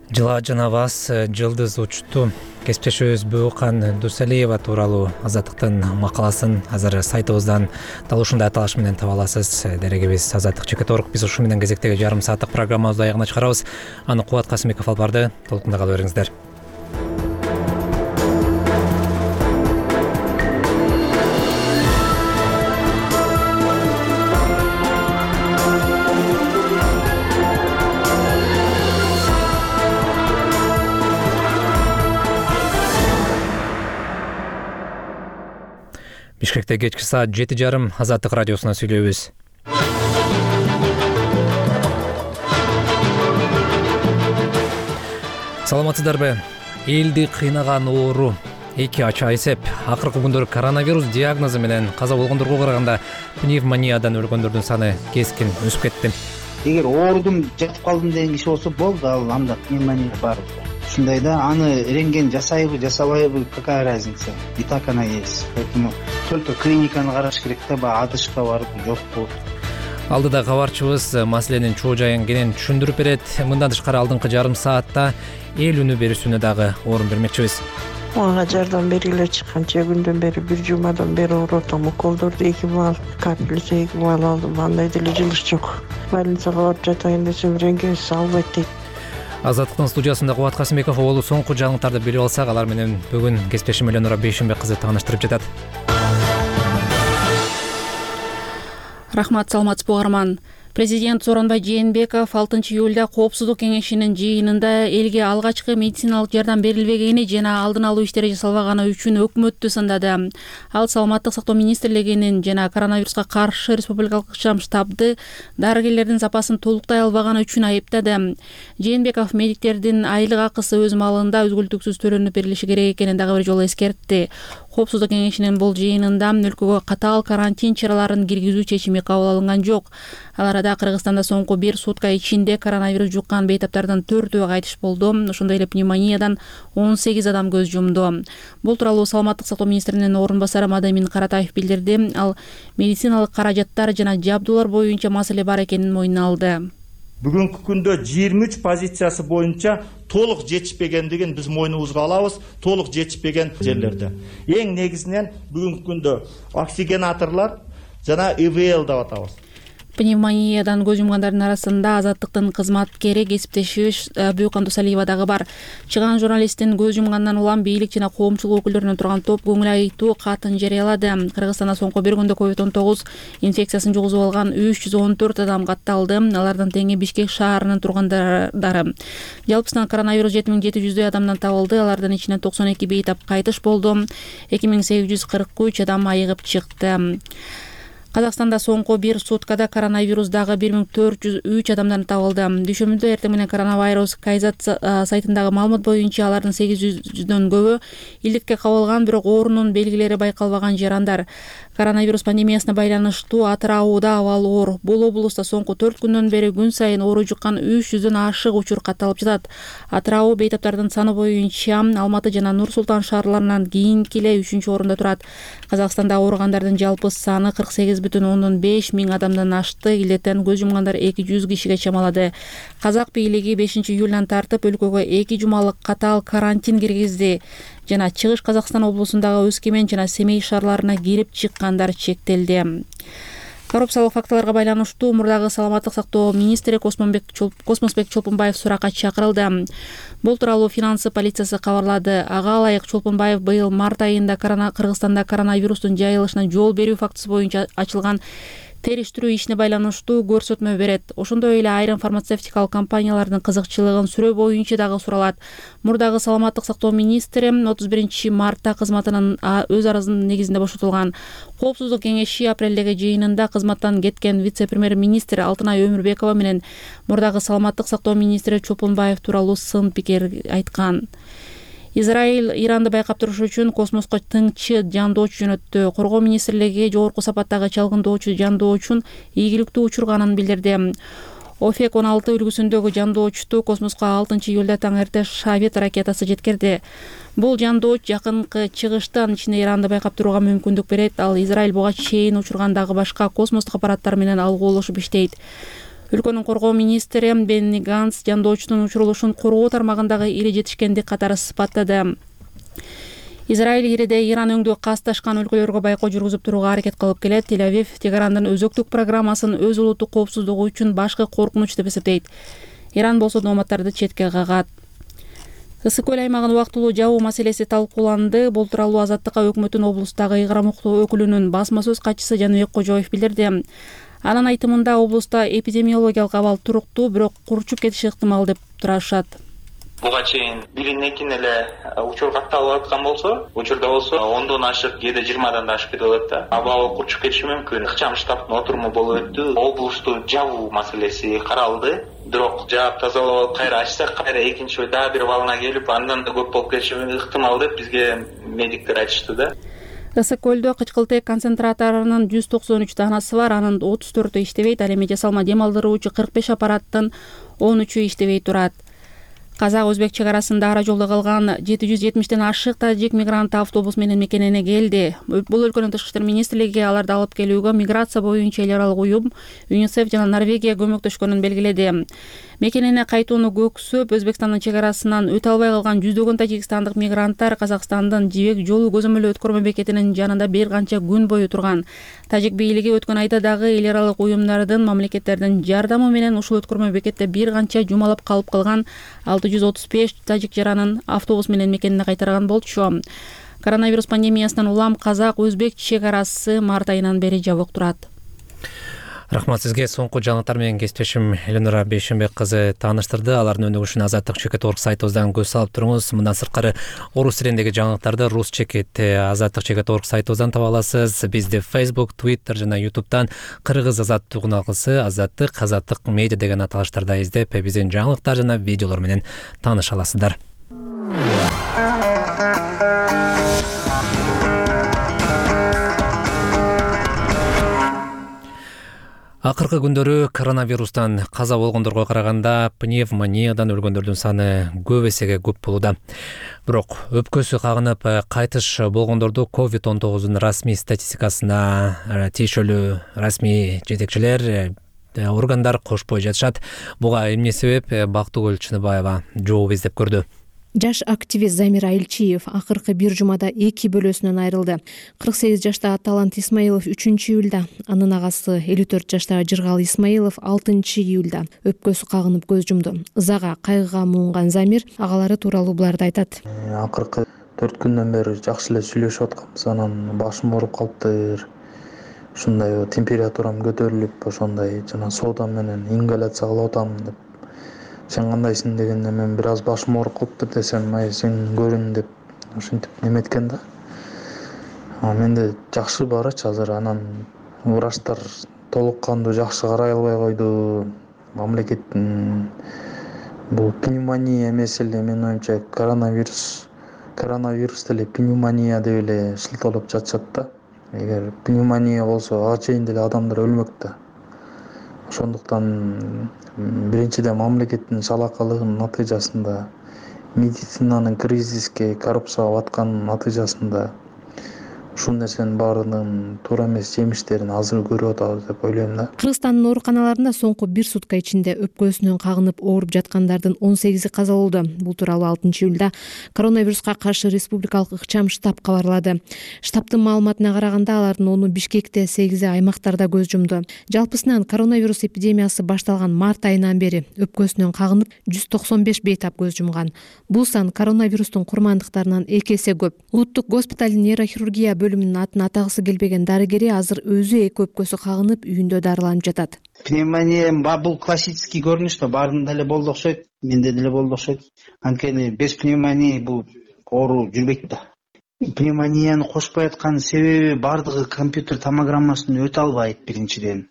Жыла жанабас жылдыз учту. Кесиптешибиз Бөкан Дусалиева тууралуу Азаттыктын макаласын азыр сайтыбыздан дал ушундай аталыш менен таба аласыз. Дерегибиз Азаттык Чекеторг. Биз ушу менен кезектеги жарым сааттык программабызды аягына чыгарабыз. Аны Кубат Касымбеков алып барды. Толкунда кала бериңиздер. Бишкекте кечки саат 7:30 Азаттык радиосуна сүйлөйбүз. Саламатсыздарбы? Элди кыйнаган оору эки ача эсеп. Акыркы күндөр коронавирус диагнозу менен каза болгондорго караганда пневмониядан өлгөндөрдүн саны кескин өсүп кетти. Эгер оорудум жатып калдым деген киши болсо болду, ал анда пневмония бар. Ушундай да, аны рентген жасайбы, жасабайбы, какая разница? И так она есть. Поэтому только клиниканы караш керек да, баягы адышка барып жокпу. Алдыда кабарчыбыз маселенин чоо жайын кенен түшүндүрүп берет. Мындан тышкары алдыңкы жарым саатта эл үнү берүүсүнө дагы орун бермекчибиз. Мага жардам бергиле чыкканча күндөн бери, бир жумадан бери оорутам. Уколдорду 2 бал, капельница 2 бал алдым. Андай деле жылыш жок. Больницага барып жатайын десем, рентген албайт дейт. Азаттыктын студиясында Кубат Касымбеков болу соңку жаңылыктарды билип алсак, алар менен бүгүн кесиптешим Эленора Бейшенбек кызы тааныштырып жатат. Рахмат, саламатсызбы угарман. Президент Сооронбай Жээнбеков 6-июлда Коопсуздук кеңешинин жыйынында элге алгачкы медициналык жардам берилбегени жана алдын алуу иштери жасалбаганы үчүн өкмөттү сындады. Ал Саламаттык сактоо министрлигинин жана коронавируска каршы республикалык ыкчам штабды дарыгерлердин запасын толуктай албаганы үчүн айыптады. Жээнбеков медиктердин айлык акысы өз маалында үзгүлтүксүз төлөнүп берилиши керек экенин дагы бир жолу эскертти. Коопсуздук кеңешинин бул жыйынында өлкөгө катаал карантин чараларын киргизүү чечими кабыл алынган жок. Ал арада Кыргызстанда соңку 1 сутка ичинде коронавирус жуккан бейтаптардын 4-өө кайтыш болду. Ошондой эле пневмониядан 18 адам көз жумду. Бул тууралуу Саламаттык сактоо министринин орун басары Мадамин Каратаев билдирди. Ал медициналык каражаттар жана жабдуулар боюнча маселе бар экенин мойнуна алды. Бүгүнкү күндө 23 позициясы боюнча толук жетишпегендигин биз мойнубузга алабыз. Толук жетишпеген жерлерде. Эң негизинен бүгүнкү күндө оксигенаторлор жана ИВЛ деп атабыз. Пневмониядан көз жумгандардын арасында Азаттыктын кызматкери кесиптешибиз Бөкан Дусалиева дагы бар. Чыган журналисттин көз жумгандан улам бийлик жана коомчулук өкүлдөрүнөн турган топ көңүл айтуу катын жарыялады. Кыргызстанда соңку bir күндө COVID-19 инфекциясын жугузуп алган 314 адам катталды. Алардын теңи Бишкек шаарынын тургандары. Жалпысынан коронавирус 7700 адамдан табылды. Алардын ичинен 92 бейтап кайтыш болду. 2843 адам айыгып чыкты. Казакстанда соңку 1 суткада коронавирус дагы 1403 адамдан табылды. Дүйшөмбүдө эртең менен коронавирус Кайзат сайтындагы маалымат боюнча алардын 800дөн көбү илдикке кабылган, бирок оорунун белгилери байкалбаган жарандар. Коронавирус пандемиясына байланыштуу Атырауда абал оор. Бул облуста соңку 4 күндөн бери күн сайын оору жуккан 300дөн ашык учур катталып жатат. Атырау бейтаптардын саны боюнча Алматы жана Нур Султан шаарларынан кийинки эле 3-орунда турат. Казакстанда ооругандардын жалпы саны 48,5 миң адамдан ашты. Илдеттен көз жумгандар 200 кишиге чамалады. Казак бийлиги 5-июлдан тартып өлкөгө 2 жумалык катаал карантин киргизди. Жана Чыгыш Казакстан облусундагы Өскемен жана Семей шаарларына кирип чыккандар чектелди. Коррупциялык фактыларга байланыштуу мурдагы Саламаттык сактоо министри Космосбек Чолпунбаев суракка чакырылды. Бул тууралуу финансы полициясы кабарлады. Ага ылайык Чолпунбаев быйыл март айында Кыргызстанда коронавирустун жайылышына жол берүү фактысы боюнча ачылган териштирүү ишине байланыштуу көрсөтмө берет. Ошондой эле айрым фармацевтикалык компаниялардын кызыкчылыгын сүрөө боюнча дагы суралат. Мурдагы Саламаттык сактоо министри 31 мартта кызматынан өз арызынын негизинде бошотулган. Коопсуздук кеңеши апрелдеги жыйынында кызматтан кеткен вице-премьер-министр Алтынай Өмүрбекова менен мурдагы Саламаттык сактоо министри Чолпунбаев тууралуу сын пикир айткан. Израиль Иранды байкап туруш үчүн космоско тыңчы жандоочу жөнөттү. Коргоо министрлиги жогорку сапаттагы чалгындоочу жандоочун ийгиликтүү учурганын билдирди. ОФЕК 16 үлгүсүндөгү жандоочту космоско 6-июлда таң эрте Шавет ракетасы жеткирди. Бул жандооч жакынкы чыгыштан ичинде Иранды байкап турууга мүмкүндүк берет. Ал Израиль буга чейин учургандагы башка космостук аппараттар менен алгуулашып иштейт. Өлкөнүн коргоо министри Бенни Ганс жандоочунун учурулушун коргоо тармагындагы ири жетишкендик катары сыпаттады. Израиль ириде Иран өңдүү касташкан өлкөлөргө байкоо жүргүзүп турууга аракет кылып келет. Тель-Авив Тегарандын өзөктүк программасын өз улуттук коопсуздугу үчүн башкы коркунуч деп эсептейт. Иран болсо номадтарды четке кагат. Ысык көл аймагын убактылуу жабуу маселеси талкууланды. Бул тууралуу Азаттыкка өкмөттүн облустагы ыйгарым укуктуу өкүлүнүн басма сөз катчысы Жаныбек Кожоев билдирди. Анын айтымында облуста эпидемиологиялык абал туруктуу, бирок курчуп кетиши ыктымал деп турашат. Буга чейин бирин экин эле учур катталып аткан болсо, учурда болсо 10дон ашык, кээде 20дан да ашып кетип атат да. Аба курчуп кетиши мүмкүн. Ыкчам штабтын отуруму болуп өттү. Облусту жабуу маселеси каралды. Бирок жаап тазалап алып кайра ачсак, кайра экинчи дагы бир волна келип, андан да көп болуп кетиши ыктымал деп бизге медиктер айтышты да. Ысык көлдө кычкылтек концентраторунун 193 даанасы бар, анын 34-ü иштебейт, ал эми жасалма дем алдыруучу 45 аппараттын 13-ü иштебей турат. Казак-өзбек чек арасында ара жолдо калган 770ден ашык тажик мигранты автобус менен мекенене келди. Бул өлкөнүн тышкы иштер министрлиги аларды алып келүүгө миграция боюнча эл аралык уюм ЮНИСЕФ жана Норвегия көмөктөшкөнүн белгиледи. Мекенене кайтууну көксөп, Өзбекстандын чек арасынан өтө албай калган жүздөгөн тажикстандык мигранттар Казакстандын Жибек жолу көзөмөлдөө өткөрмө бекетинин жанында бир канча күн бою турган. Тажик бийлиги өткөн айда дагы эл аралык уюмдардын, мамлекеттердин жардамы менен ушул өткөрмө бекетте бир канча жумалап калып калган 635 тажик жаранын автобус менен мекенине кайтарган болчу. Коронавирус пандемиясынан улам казак-өзбек чек арасы март айынан бери жабык турат. Рахмат сизге. Соңку жаңылыктар менен кесиптешим Эленора Бейшенбек кызы тааныштырды. Алардын өнүгүшүнө Азаттык.org сайтыбыздан көз салып туруңуз. Мындан сырткары орус тилиндеги жаңылыктарды рус чекит Азаттык.org сайтыбыздан таба аласыз. Бизди Facebook, Twitter жана YouTube'дан кыргыз азаттык угуналгысы Азаттык медиа деген аталыштарда издеп, биздин жаңылыктар жана видеолор менен тааныша аласыздар. Акыркы күндөрү коронавирустан каза болгондорго караганда пневмониядан өлгөндөрдүн саны көп эсеге көп болууда. Бирок өпкөсү кагынып кайтыш болгондорду COVID-19 расмий статистикасына тиешелүү расмий жетекчилер органдар кошпой жатышат. Буга эмне себеп? Бактыгүл Чыныбаева жооп издеп көрдү. Жаш активист Замир Айылчиев акыркы бир жумада 2 бөлөсүнөн айрылды. 48 жаштагы Талант Исмаилов 3-июлда, анын агасы 54 жаштагы Жыргал Исмаилов 6-июлда өпкөсү кагынып көз жумду. Ызага, кайгыга муунган Замир агалары тууралуу буларды айтат. Акыркы 4 күндөн бери жакшы эле сүйлөшүп атканбыз, анан башым ооруп калыптыр. Ушундай температурам көтөрүлүп, ошондой жана соода менен ингаляция кылып атам деп. Сен кандайсың дегенде мен бир аз башым ооруп калыптыр десем, сен көрүн деп ошентип неметкен да. Менде жакшы барачы азыр, анан врачтар толук кандуу жакшы карай албай койду. Мамлекеттин бул пневмония эмес эле, менин оюмча коронавирус деле пневмония деп эле шылтоолоп жатышат да. Эгер пневмония болсо ага чейин деле адамдар өлмөк да. Ошондуктан биринчиден мамлекеттин салакалыгынын натыйжасында, медицинанын кризиске коррупцияга батканын натыйжасында ушул нерсенин баарынын туура эмес жемиштерин азыр көрүп атабыз деп ойлойм да. Кыргызстандын ооруканаларында соңку 1 сутка ичинде өпкөсүнөн кагынып ооруп жаткандардын 18 каза болду. Бул тууралуу 6-июлда коронавируска каршы республикалык ыкчам штаб кабарлады. Штабтын маалыматына караганда алардын 10-у Бишкекте, 8-и аймактарда көз жумду. Жалпысынан коронавирус эпидемиясы башталган март айынан бери өпкөсүнөн кагынып 195 бейтап көз жумган. Бул сан коронавирустун курмандыктарынан 2 эсе көп. Улуттук госпиталдын нейрохирургия бөлүмүнүн атын атагысы келбеген дарыгери азыр өзү 2 өпкөсү кагынып үйүндө дарыланып жатат. Пневмония бул классический көрүнүш да, баарында деле болду окшойт, менде деле болду окшойт. Анткени без пневмонии бул оору жүрбөйт да. Пневмонияны кошпой аткан себеби бардыгы компьютер томограммасын өтө албайт биринчиден.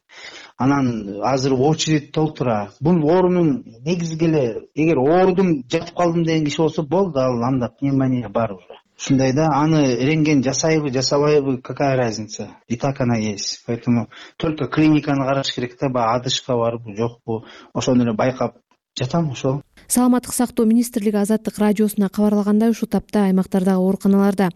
Анан азыр очередь толтура. Бул оорунун негизги эле, эгер оорудум жатып калдым деген киши болсо болду, анда пневмония бар уже. Ушундай да, аны рентген жасайбы, жасабайбы, какая разница? И так она есть. Поэтому только клиниканы караш керек да, одышка барбы, жокпу, ошону эле байкап жатам ошол. Саламаттык сактоо министрлиги Азаттык радиосуна кабарлагандай, ушул тапта аймактардагы ооруканаларда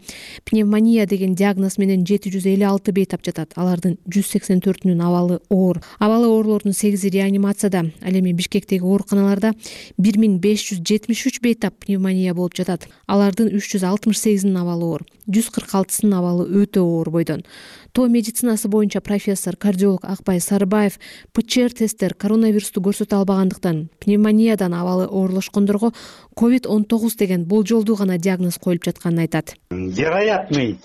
пневмония деген диагноз менен 756 бейтап жатат. Алардын 184-үнүн абалы оор. Абалы оорлордун 8-и реанимацияда. Ал эми Бишкектеги ооруканаларда 1573 бейтап пневмония болуп жатат. Алардын 368-инин абалы оор. 146-сынын абалы өтө оор бойдон. Тоо медицинасы боюнча профессор, кардиолог Акбай Сарыбаев ПЧР тесттер коронавирусту көрсөтө албагандыктан пневмониядан абалы оорлошкондорго COVID-19 деген болжолдуу гана диагноз коюлуп жатканын айтат. Вероятный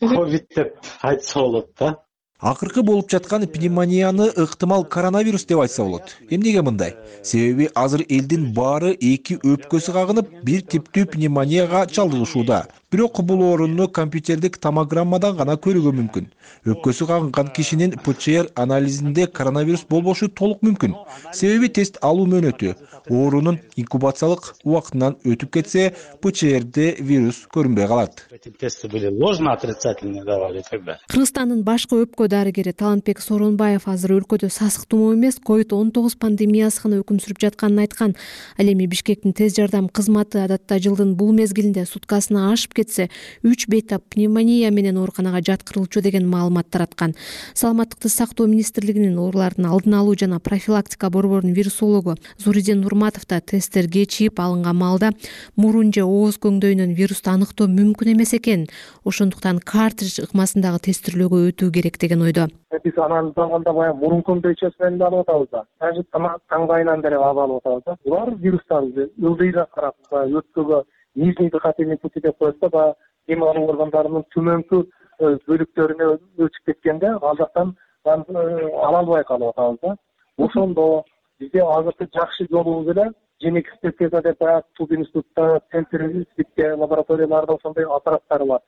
ковид деп айтса болот да. Акыркы болуп жаткан пневмонияны ыктымал коронавирус деп айтса болот. Эмнеге мындай? Себеби азыр элдин баары эки өпкөсү кагынып, бир типтүү пневмонияга чалдыгышууда. Бирок бул орунну компьютердик томограммадан гана көрүүгө мүмкүн. Өпкөсү кагынган кишинин ПЧР анализинде коронавирус болбошу толук мүмкүн. Себеби тест алуу мөөнөтү. Оорунун инкубациялык убактынан өтүп кетсе, ПЧРде вирус көрүнбөй калат. Тесты были ложно отрицательные давали тогда. Кыргызстандын башкы өпкө дарыгери Талантбек Сооронбаев азыр өлкөдө сасык тумоо эмес, COVID-19 пандемиясы гана өкүм сүрүп жатканын айткан. Ал эми Бишкектин тез жардам кызматы адатта жылдын бул мезгилинде суткасына ашып кетсе 3 бейтап пневмония менен ооруканага жаткырылчу деген маалымат тараткан. Саламаттыкты сактоо министрлигинин оорулардын алдын алуу жана профилактика борборунун вирусологу Зуридин Нурматов да тесттер кечип алынган маалда мурун же ооз көңдөйүнөн вирусту аныктоо мүмкүн эмес экен. Ошондуктан картридж ыкмасындагы тестирлөөгө өтүү керек деген ойдо. Биз анализ алганда баягы мурун көңдөйчөсү менен да алып атабыз да. Даже таңдайынан деле алып атабыз да. Булар вирустарды ылдыйга карап, өпкөгө нижний дыхательный пути деп коет да, баягы дем алуу органдарынын төмөнкү бөлүктөрүнө өтүп кеткенде ал жактан ала албай калып атабыз да. Ошондо бизде азыркы жакшы жолубуз эле женик экспертиза деп баягы Туз институтта, центрде, лабораторияларда ошондой аппараттар бар.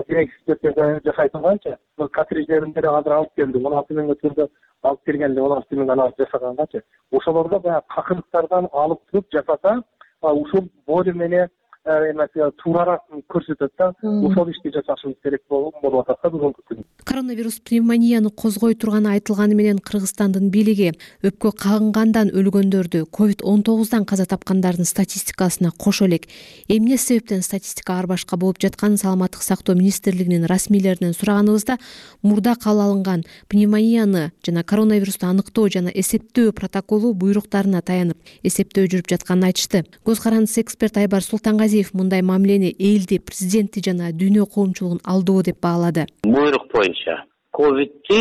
Демек экспертиза жасай турганчы, картридждерин деле азыр алып келди. 16 миңге түрдө алып келгенде 16 миң анализ жасаганчы. Ошолордо баягы какырыктардан алып туруп жасаса, ушул более менее туурааак көрсөтөт да. Ошол ишти жасашыбыз керек болуп атат да бүгүнкү күндө. Коронавирус пневмонияны козгой турганы айтылганы менен Кыргызстандын бийлиги өпкө кагынгандан өлгөндөрдү, COVID-19дан каза тапкандардын статистикасына кошо элек. Эмне себептен статистика ар башка болуп жатканын Саламаттык сактоо министрлигинин расмийлеринен сураганыбызда мурда кабыл алынган пневмонияны жана коронавирусту аныктоо жана эсептөө протоколу буйруктарына таянып эсептөө жүрүп жатканын айтышты. Көз карандысы эксперт Айбар Султангазиев мындай мамилени элди, президенти жана дүйнө коомчулугун алдоо деп баалады. Буйрук боюнча ковидти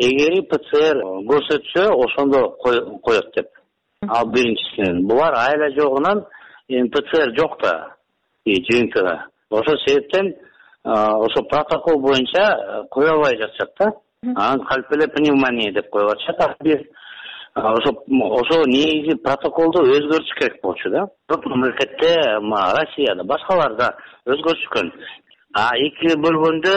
эгери ПЦР көрсөтсө ошондо коет деп. Ал биринчисинен. Булар айла жогунан ПЦР жок да жыйынтыгы. Ошол себептен ошо протокол боюнча кое албай жатышат да. Анан калп эле пневмония деп коюп атышат. Ошо негизи протоколду өзгөртүш керек болчу да. Көп мамлекетте, Россияда, башкаларда өзгөртүшкөн. Эки бөлгөндө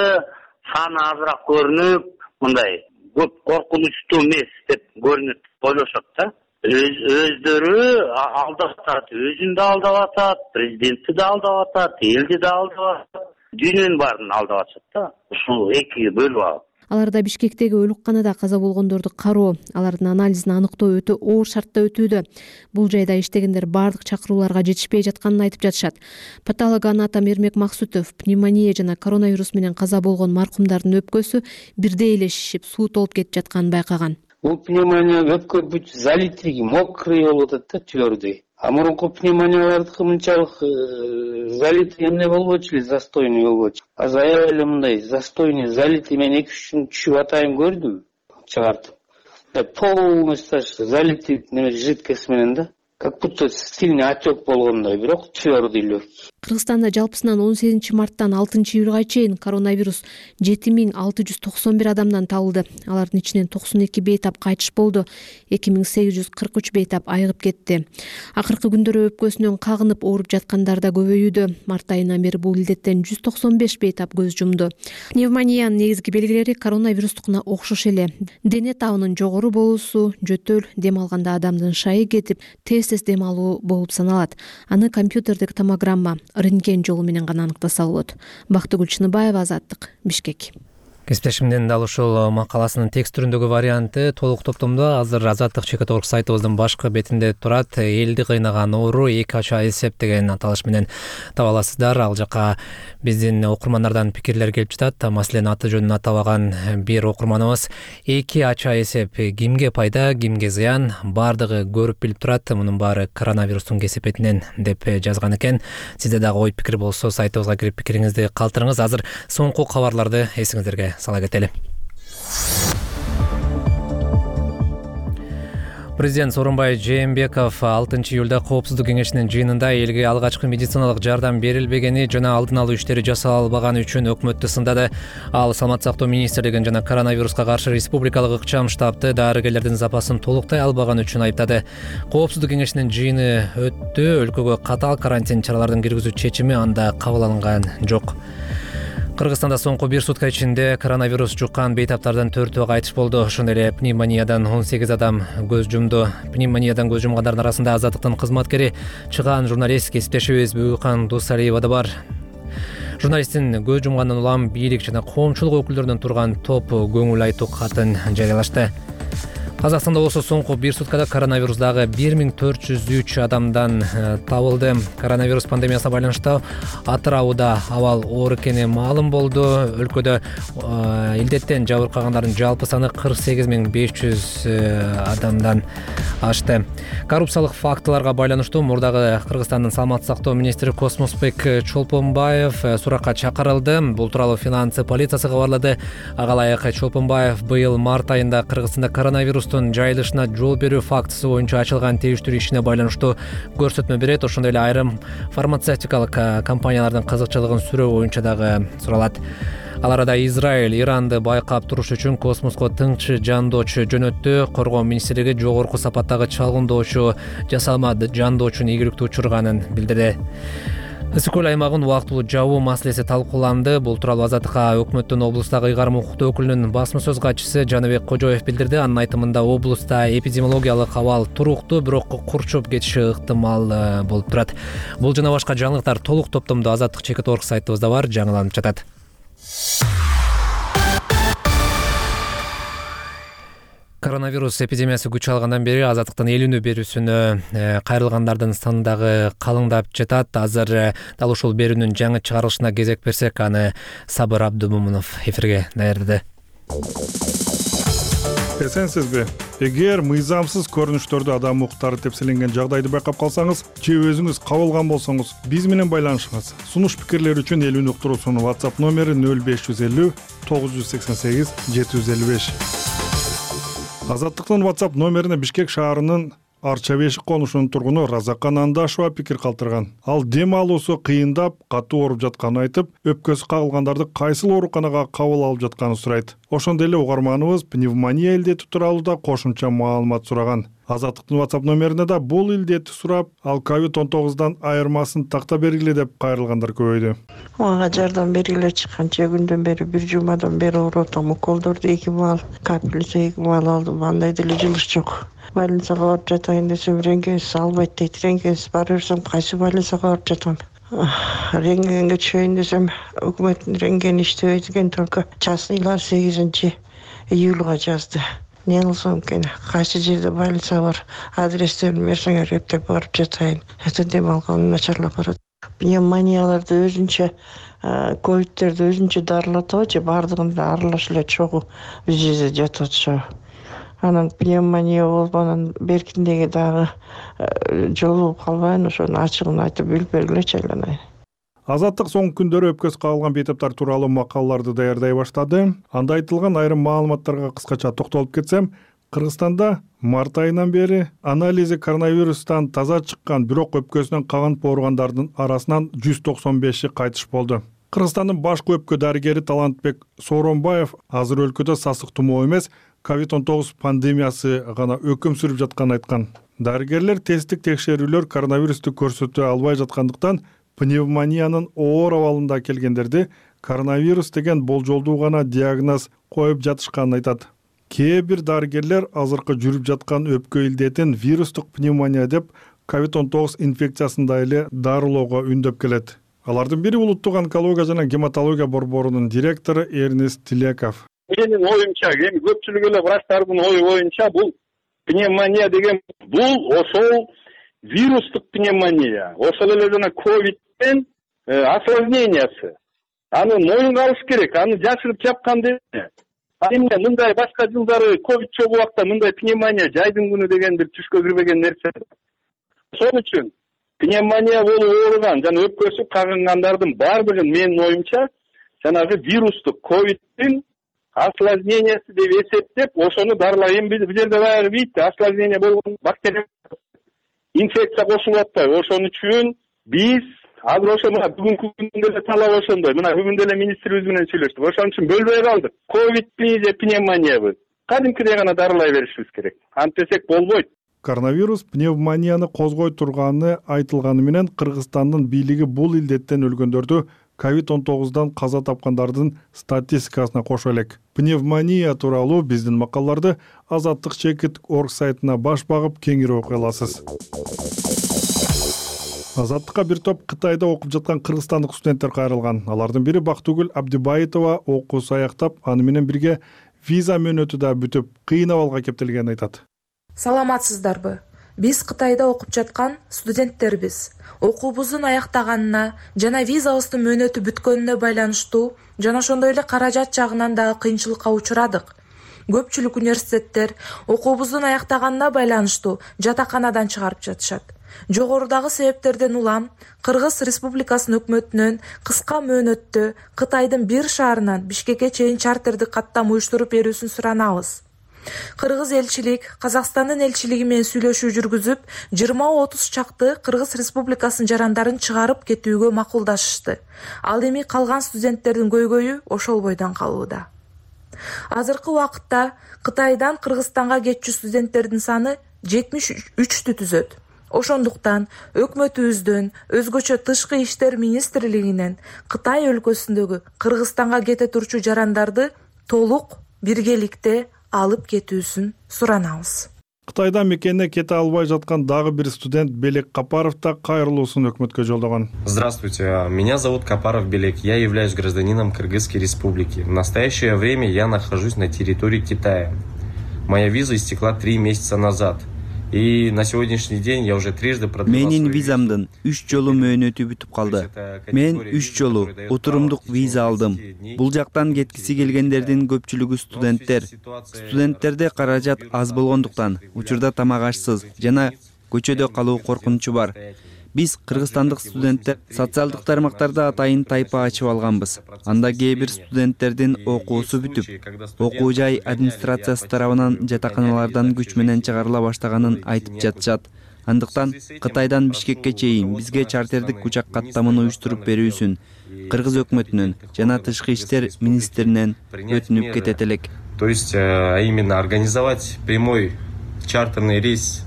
саны азыраак көрүнүп, мындай көп коркунучтуу эмес деп көрүнүп ойлошот да. Өздөрү алдап атат, өзүн да алдап атат, президентти да алдап атат, элди да алдап атат, дүйнөнүн баарын алдап атышат да. Ушул эки бөлүп алып. Аларда Бишкектеги өлүкканада каза болгондорду кароо, алардын анализин аныктоо өтө оор шартта өтүүдө. Бул жайда иштегендер бардык чакырууларга жетишпей жатканын айтып жатышат. Патологоанатом Эрмек Максутов пневмония жана коронавирус менен каза болгон маркумдардын өпкөсү бирдей эле шишип, суу толуп кетип жатканын байкаган. Бул пневмония өпкө бүт залитриги, мокрый болуп атат да, твердый. А мурунку пневмониялардыкы мынчалык залитый эмне болбочу эле, застойный болбочу. Азыр аябай эле мындай застойный, залитый мен 2-3 күн түшүп атайын көрдүм, чыгартып. Полностью залитый жидкость менен да. Как будто сильный отек болгондой, бирок твердый легкий. Кыргызстанда жалпысынан 18 марттан 6 июлга чейин коронавирус 7691 адамдан табылды. Алардын ичинен 92 бейтап кайтыш болду, 2843 бейтап айыгып кетти. Акыркы күндөрү өпкөсүнөн кагынып ооруп жаткандар да көбөйүүдө. Март айынан бери бул илдеттен 195 бейтап көз жумду. Пневмониянын негизги белгилери коронавирустукуна окшош эле. Дене табынын жогору болуусу, жөтөл, дем алганда адамдын шайы кетип, тез дем алуу болуп саналат. Аны компьютердик томограмма, рентген жолу менен гана аныктаса болот. Бактыгүл Чыныбаева, Азаттык, Бишкек. Кесиптешимдин дал ушул макаласынын текст түрүндөгү варианты толук топтомдо азыр Азаттык ЧК.org сайтыбыздын башкы бетинде турат. Элди кыйнаган оору 2 ача эсеп деген аталыш менен таба аласыздар. Ал жака биздин окурмандардан пикирлер келип жатат. Маселен, аты жөнүн атабаган бир окурманыбыз 2 ача эсеп кимге пайда, кимге зыян, бардыгы көрүп билип турат. Мунун баары коронавирустун кесепетинен деп жазган экен. Сизде дагы ой пикир болсо сайтыбызга кирип пикириңизди калтырыңыз. Азыр соңку кабарларды эсиңиздерге сала кетели. Президент Сооронбай Жээнбеков 6-июлда Коопсуздук кеңешинин жыйынында элге алгачкы медициналык жардам берилбегени жана алдын алуу иштери жасалбаганы үчүн өкмөттү сындады. Ал Саламаттык сактоо министрлигин жана коронавируска каршы республикалык ыкчам штабты дарыгерлердин запасын толуктай албаганы үчүн айыптады. Коопсуздук кеңешинин жыйыны өттү. Өлкөгө катаал карантин чараларын киргизүү чечими анда кабыл алынган жок. Кыргызстанда соңку бир сутка ичинде коронавирус жуккан бейтаптардан 4-өө кайтыш болду. Ошондой эле пневмониядан 18 адам көз жумду. Пневмониядан көз жумгандардын арасында Азаттыктын кызматкери, чыгаан журналист, кесиптешибиз Бүйүкан Дусалиева да бар. Журналисттин көз жумгандан улам бийлик жана коомчулук өкүлдөрүнөн турган топ көңүл айтуу катын жарыялашты. Казакстанда болсо соңку бир суткада коронавирусдагы 1403 адамдан табылды. Коронавирус пандемиясына байланыштуу Атырауда абал оор экени маалым болду. Өлкөдө илдеттен жабыркагандардын жалпы саны 48500 адамдан ашты. Коррупциялык фактыларга байланыштуу мурдагы Кыргызстандын саламаттык сактоо министри Космосбек Чолпонбаев суракка чакырылды. Бул тууралуу финансы полициясы кабарлады. Ага ылайык Чолпонбаев быйыл март айында Кыргызстанда коронавирус жайылышына жол берүү фактысы боюнча ачылган териштирүү ишине байланыштуу көрсөтмө берет. Ошондой эле айрым фармацевтикалык компаниялардын кызыкчылыгын сүрөө боюнча дагы суралат. Ал арада Израиль Иранды байкап туруш үчүн космоско тыңчы жандоочу жөнөттү. Коргоо министрлиги жогорку сапаттагы чалгындоочу жасалма жандоочунун ийгиликтүү учурганын билдирди. Ысык-көл аймагын убактылуу жабуу маселеси талкууланды. Бул тууралуу Азаттыкка өкмөттүн облустагы ыйгарым укуктуу өкүлүнүн басма сөз катчысы Жаныбек Кожоев билдирди. Анын айтымында облуста эпидемиологиялык абал туруктуу, бирок курчуп кетиши ыктымал болуп турат. Бул жана башка жаңылыктар толук топтомдо Азаттык ЧК.org сайтыбызда бар, жаңыланып жатат. Коронавирус эпидемиясы күч алгандан бери Азаттыктын эл үнү берүүсүнө кайрылгандардын саны дагы калыңдап жатат. Азыр дал ушул берүүнүн жаңы чыгарылышына кезек берсек, аны Сабыр Абдумомунов эфирге даярдады. Эсенсизби? Эгер мыйзамсыз көрүнүштөрдү адам укуктары тепселенген жагдайды байкап калсаңыз же өзүңүз кабылган болсоңуз, биз менен байланышыңыз. Сунуш пикирлер үчүн эл үнү уктуруусунун WhatsApp номери 0550 988 755. Азаттыктын WhatsApp номерине Бишкек шаарынын Арча Бешик конушунун тургуну Разакан Андашева пикир калтырган. Ал дем алуусу кыйындап, катуу ооруп жатканын айтып, өпкөсү кагылгандарды кайсыл ооруканага кабыл алып жатканын сурайт. Ошондой эле угарманыбыз пневмония илдети тууралуу да кошумча маалымат сураган. Азаттыктын WhatsApp номерине да бул илдетти сурап, ал COVID-19дан айырмасын такта бергиле деп кайрылгандар көбөйдү. Мага жардам бергиле чыккан күндөн бери, бир жумадан бери ооруп, уколдорду 2 маал, капельница 2 маал алдым. Андай деле жылыш жок. Больницага барып жатайын десем, рентгенсиз албайт дейт. Рентгенсиз бара берсем, кайсы больницага барып жатам? Рентгенге түшөйүн десем, өкмөттүн рентгени иштебейт экен, только частныйлар 8-июлга жазды. Не кылсам экен? Кайсы жерде больница бар? Адрестерин берсеңер, эптеп барып жатайын. Это дем алганым начарлап барат. Пневмонияларды өзүнчө, ковидтерди өзүнчө дарылатабы же бардыгында аралаш эле чогуу биз жерде жатып атышабы? Анан пневмония болуп, анан беркиндеги дагы жолугуп калбайын, ошонун ачыгын айтып билип бергилечи айланайын. Азаттык соңку күндөрү өпкөсү кагылган бейтаптар тууралуу макалаларды даярдай баштады. Анда айтылган айрым маалыматтарга кыскача токтолуп кетсем, Кыргызстанда март айынан бери анализи коронавирустан таза чыккан, бирок өпкөсүнөн кагынып ооругандардын арасынан 195 кайтыш болду. Кыргызстандын башкы өпкө дарыгери Талантбек Сооронбаев азыр өлкөдө сасык тумоо эмес, COVID-19 пандемиясы гана өкүм сүрүп жатканын айткан. Дарыгерлер тесттик текшерүүлөр коронавирусту көрсөтө албай жаткандыктан пневмониянын оор абалында келгендерди коронавирус деген болжолдуу гана диагноз коюп жатышканын айтат. Кээ бир дарыгерлер азыркы жүрүп жаткан өпкө илдетин вирустук пневмония деп COVID-19 инфекциясында эле дарылоого үндөп келет. Алардын бири улуттук онкология жана гематология борборунун директору Эрнест Тилеков. Менин оюмча, эми көпчүлүк эле врачтардын ою боюнча бул пневмония деген бул ошол вирустук пневмония, ошол эле жана ковидтен осложнениясы. Аны моюнга алыш керек, аны жашырып жапкан эмне. Эмне мындай башка жылдары ковид чогуу убакта мындай пневмония жайдын күнү деген бир түшкө кирбеген нерсе. Ошол үчүн пневмония болуп ооруган жана өпкөсү кагынгандардын баардыгын менин оюмча жанагы вирустук ковидтин осложнениясы деп эсептеп, ошону дарылай. Эми бул жерде баягы бийти осложнение болгон бактерия инфекция кошулуп атпайбы. Ошон үчүн биз азыр ошо мына бүгүнкү күндө эле талап ошондой. Мына бүгүн деле министрибиз менен сүйлөштүк. Ошон үчүн бөлбөй калдык. Ковидпи же пневмониябы? Кадимкидей гана дарылай беришибиз керек. Антисек болбойт. Коронавирус пневмонияны козгой турганы айтылганы менен Кыргызстандын бийлиги бул илдеттен өлгөндөрдү COVID-19 каза тапкандардын статистикасына кошо элек. Пневмония тууралуу биздин макалаларды Азаттык Чекит.org сайтына баш багып кеңири окуй аласыз. Азаттыкка бир топ Кытайда окуп жаткан кыргызстандык студенттер кайрылган. Алардын бири Бактыгүл Абдибаитова окуусу аяктап, аны менен бирге виза мөөнөтү да бүтүп, кыйын абалга кептелгенин айтат. Саламатсыздарбы? Биз Кытайда окуп жаткан студенттербиз. Окуубуздун аяктаганына жана визабыздын мөөнөтү бүткөнүнө байланыштуу жана ошондой эле каражат жагынан дагы кыйынчылыкка учурадык. Көпчүлүк университеттер окуубуздун аяктаганына байланыштуу жатаканадан чыгарып жатышат. Жогорудагы себептерден улам Кыргыз Республикасынын өкмөтүнөн кыска мөөнөттө Кытайдын бир шаарынан Бишкекке чейин чартердик каттам уюштуруп берүүсүн суранабыз. Кыргыз элчилик Казакстандын элчилиги менен сүйлөшүү жүргүзүп, 20-30 чакты Кыргыз Республикасынын жарандарын чыгарып кетүүгө макулдашышты. Ал эми калган студенттердин көйгөйү ошол бойдон калууда. Азыркы убакытта Кытайдан Кыргызстанга кетчү студенттердин саны 73-тү түзөт. Ошондуктан өкмөтүбүздөн, өзгөчө Тышкы иштер министрлигинен Кытай өлкөсүндөгү Кыргызстанга кете турчу жарандарды толук биргеликте алып кетүүсүн суранабыз. Кытайдан мекенине кете албай жаткан дагы бир студент Белек Капаров да кайрылуусун өкмөткө жолдогон. Здравствуйте, меня зовут Капаров Белек, я являюсь гражданином Кыргызской республики. В настоящее время я нахожусь на территории Китая. Моя виза истекла 3 месяца назад. И на сегодняшний день я уже трижды продлевал. Менин визамдын 3 жолу мөөнөтү бүтүп калды. Мен 3 жолу отурумдук виза алдым. Бул жактан кеткиси келгендердин көпчүлүгү студенттер. Студенттерде каражат аз болгондуктан учурда тамак ашсыз жана көчөдө калуу коркунучу бар. Биз кыргызстандык студенттер социалдык тармактарда атайын тайпа ачып алганбыз. Анда кээ бир студенттердин окуусу бүтүп, окуу жай администрациясы тарабынан жатаканалардан күч менен чыгарыла баштаганын айтып жатышат. Андыктан Кытайдан Бишкекке чейин бизге чартердик учак каттамын уюштуруп берүүсүн Кыргыз өкмөтүнөн жана Тышкы иштер министринен өтүнүп кетет элек. То есть, именно организовать прямой чартерный рейс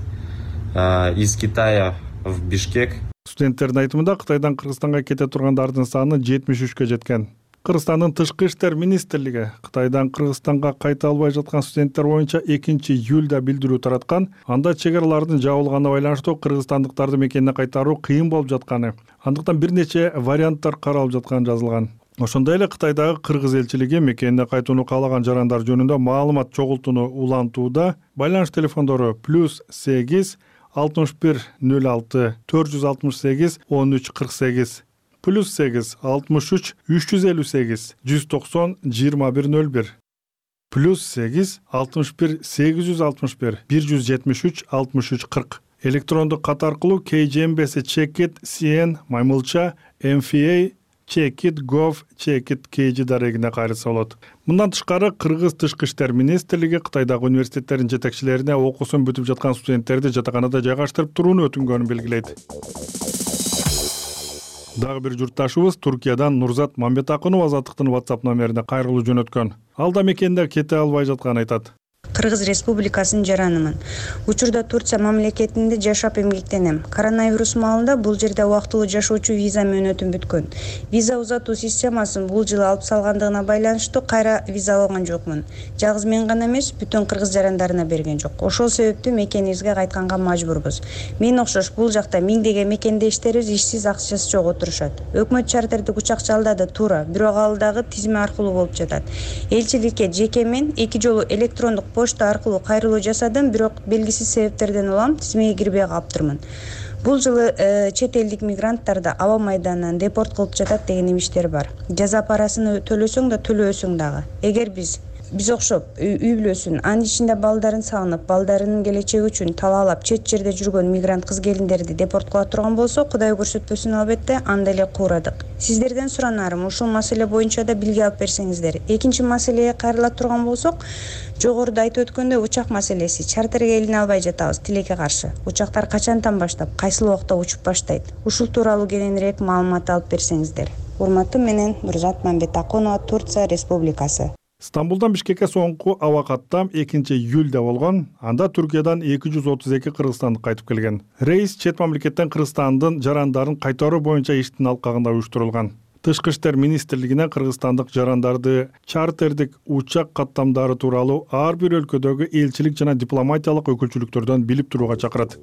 из Китая в Бишкек. Студенттердин айтымында Кытайдан Кыргызстанга кете тургандардын саны 73-кө жеткен. Кыргызстандын Тышкы иштер министрлиги Кытайдан Кыргызстанга кайта албай жаткан студенттер боюнча 2-июлда билдирүү тараткан. Анда чек аралардын жабылганына байланыштуу кыргызстандыктарды мекенине кайтаруу кыйын болуп жатканы, андыктан бир нече варианттар каралып жатканы жазылган. Ошондой эле Кытайдагы Кыргыз элчилиги мекенине кайтууну каалаган жарандар жөнүндө маалымат чогултууну улантууда. Байланыш телефондору +8 61 06 468 13 48 +8 63 358 190 2101 +8 61 861 173 63 40 электрондук кат аркылуу KGMBS Chekit CN маймылча MFA Chekit.gov Chekit KG дарегине кайрылса болот. Мындан тышкары Кыргыз Тышкы иштер министрлиги Кытайдагы университеттердин жетекчилерине окуусун бүтүп жаткан студенттерди жатаканада жайгаштырып турууну өтүнгөнүн белгилейт. Дагы бир журтташыбыз Туркиядан Нурзат Мамбетакунов Азаттыктын WhatsApp номерине кайрылуу жөнөткөн. Ал да мекенде кете албай жатканын айтат. Кыргыз Республикасынын жаранымын. Учурда Турция мамлекетинде жашап эмгектенем. Коронавирус маалында бул жерде убактылуу жашоочу виза мөөнөтүм бүткөн. Виза узатуу системасын бул жылы алып салгандыгына байланыштуу кайра виза алган жокмун. Жалгыз мен гана эмес, бүтүн кыргыз жарандарына берген жок. Ошол себептүү мекенибизге кайтканга мажбурбуз. Мен окшош бул жакта миңдеген мекендештерибиз ишсиз, акчасы жок отурушат. Өкмөт чартердик учак жалдады, туура, бирок ал дагы тизме аркылуу болуп жатат. Элчиликке жеке мен 2 жолу электрондук почта аркылуу кайрылуу жасадым, бирок белгисиз себептерден улам тизмеге кирбей калыптырмын. Бул жылы чет элдик мигранттарды аба майданынан депорт кылып жатат деген имиштер бар. Жаза парасын төлөсөң да төлөбөсөң дагы. Эгер биз окшоп үй бүлөсүн, анын ичинде балдарын сагынып, балдарынын келечеги үчүн талаалап чет жерде жүргөн мигрант кыз келиндерди депорт кыла турган болсо, Кудай көрсөтпөсүн, албетте анда эле куурадык. Сиздерден суранарым, ушул маселе боюнча да билги алып берсеңиздер. Экинчи маселеге кайрыла турган болсок, жогоруда айтып өткөндөй учак маселеси. Чартерге илине албай жатабыз, тилекке каршы. Учактар качантан баштап, кайсыл убакта учуп баштайт? Ушул тууралуу кененирээк маалымат алып берсеңиздер. Урматтуу менен Нурзат Мамбетакунова, Турция Республикасы. Стамбулдан Бишкекке соңку аба каттам 2-июлда болгон. Анда Түркиядан 232 кыргызстандык кайтып келген. Рейс чет мамлекеттен Кыргызстандын жарандарын кайтаруу боюнча иштин алкагында уюштурулган. Тышкы иштер министрлигинен кыргызстандык жарандарды чартердик учак каттамдары тууралуу ар бир өлкөдөгү элчилик жана дипломатиялык өкүлчүлүктөрдөн билип турууга чакырат.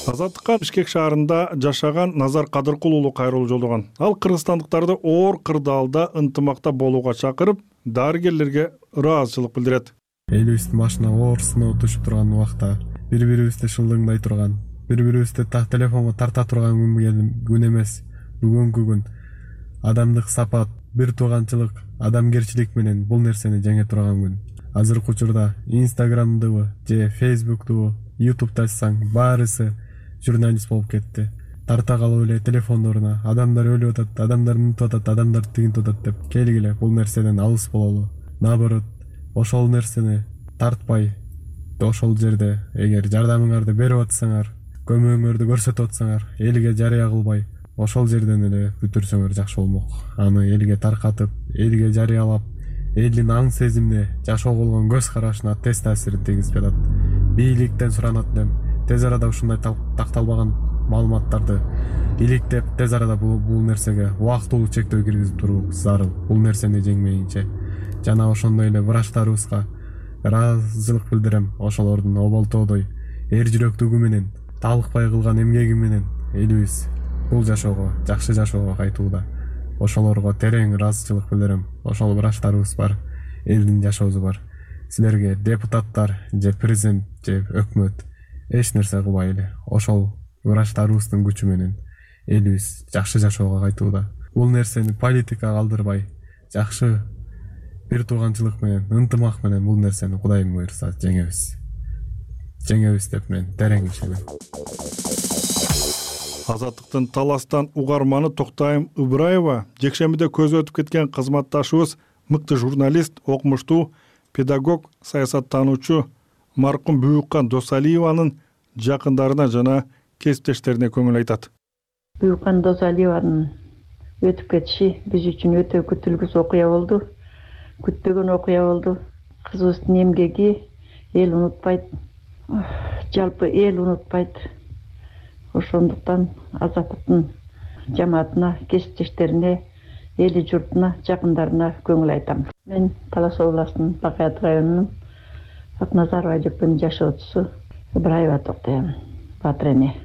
Азаттыкка Бишкек шаарында жашаган Назар Кадыркул уулу кайрылуу жолдогон. Ал кыргызстандыктарды оор кырдаалда ынтымакта болууга чакырып, дарыгерлерге ыраазычылык билдирет. Элибиздин башына оор сыноо түшүп турган убакта бири-бирибизди шылдыңдай турган, бири-бирибизди телефонго тарта турган күн эмес, бүгүнкү күн. Адамдык сапат, бир тууганчылык, адамгерчилик менен бул нерсени жеңе турган күн. Азыркы учурда Instagram'дыбы же Facebook'дубу, YouTube'да ачсаң баарысы журналист болуп кетти. Тарта калып эле телефондоруна адамдар өлүп атат, адамдар мынтип атат, адамдар тигинтип атат деп келгиле бул нерседен алыс бололу. Наоборот, ошол нерсени тартпай, ошол жерде эгер жардамыңарды берип атсаңар, көмөгүңөрдү көрсөтүп атсаңар, элге жарыя кылбай, ошол жерден эле бүтүрсөңөр жакшы болмок. Аны элге таркатып, элге жарыялап, элдин аң сезимине, жашоого болгон көз карашына тез таасирин тийгизип атат. Бийликтен суранат элем, тез арада ушундай такталбаган маалыматтарды иликтеп, тез арада бул нерсеге убактылуу чектөө киргизип туруу зарыл. Бул нерсени жеңмейинче. Жана ошондой эле врачтарыбызга ыраазычылык билдирем. Ошолордун оболтоодой эр жүрөктүгү менен, талыкпай кылган эмгеги менен элибиз бул жашоого, жакшы жашоого кайтууда. Ошолорго терең ыраазычылык билдирем. Ошол врачтарыбыз бар, элдин жашоосу бар. Силерге депутаттар же президент же өкмөт эч нерсе кылбай эле ошол врачтарыбыздын күчү менен элибиз жакшы жашоого кайтууда. Бул нерсени политикага калдырбай, жакшы бир тууганчылык менен, ынтымак менен бул нерсени Кудайым буйрса жеңебиз. Жеңебиз деп мен терең ишенем. Азаттыктын таластан угарманы Токтайым Ыбыраева жекшембиде көзү өтүп кеткен кызматташыбыз, мыкты журналист, окумуштуу, педагог, саясаттануучу маркум Бүйүккан Досалиеванын жакындарына жана кесиптештерине көңүл айтат. Бүйүккан Досалиеванын өтүп кетиши биз үчүн өтө күтүлгүс окуя болду. Күтпөгөн окуя болду. Кызыбыздын эмгеги эл унутпайт. Жалпы эл унутпайт. Ошондуктан Азаттыктын жамаатына, кесиптештерине, эли журтуна, жакындарына көңүл айтам. Мен Талас областынын Бакаят районунун Акназарова Айжекпенин жашоочусу Ыбыраева Токтайым Батыр эне.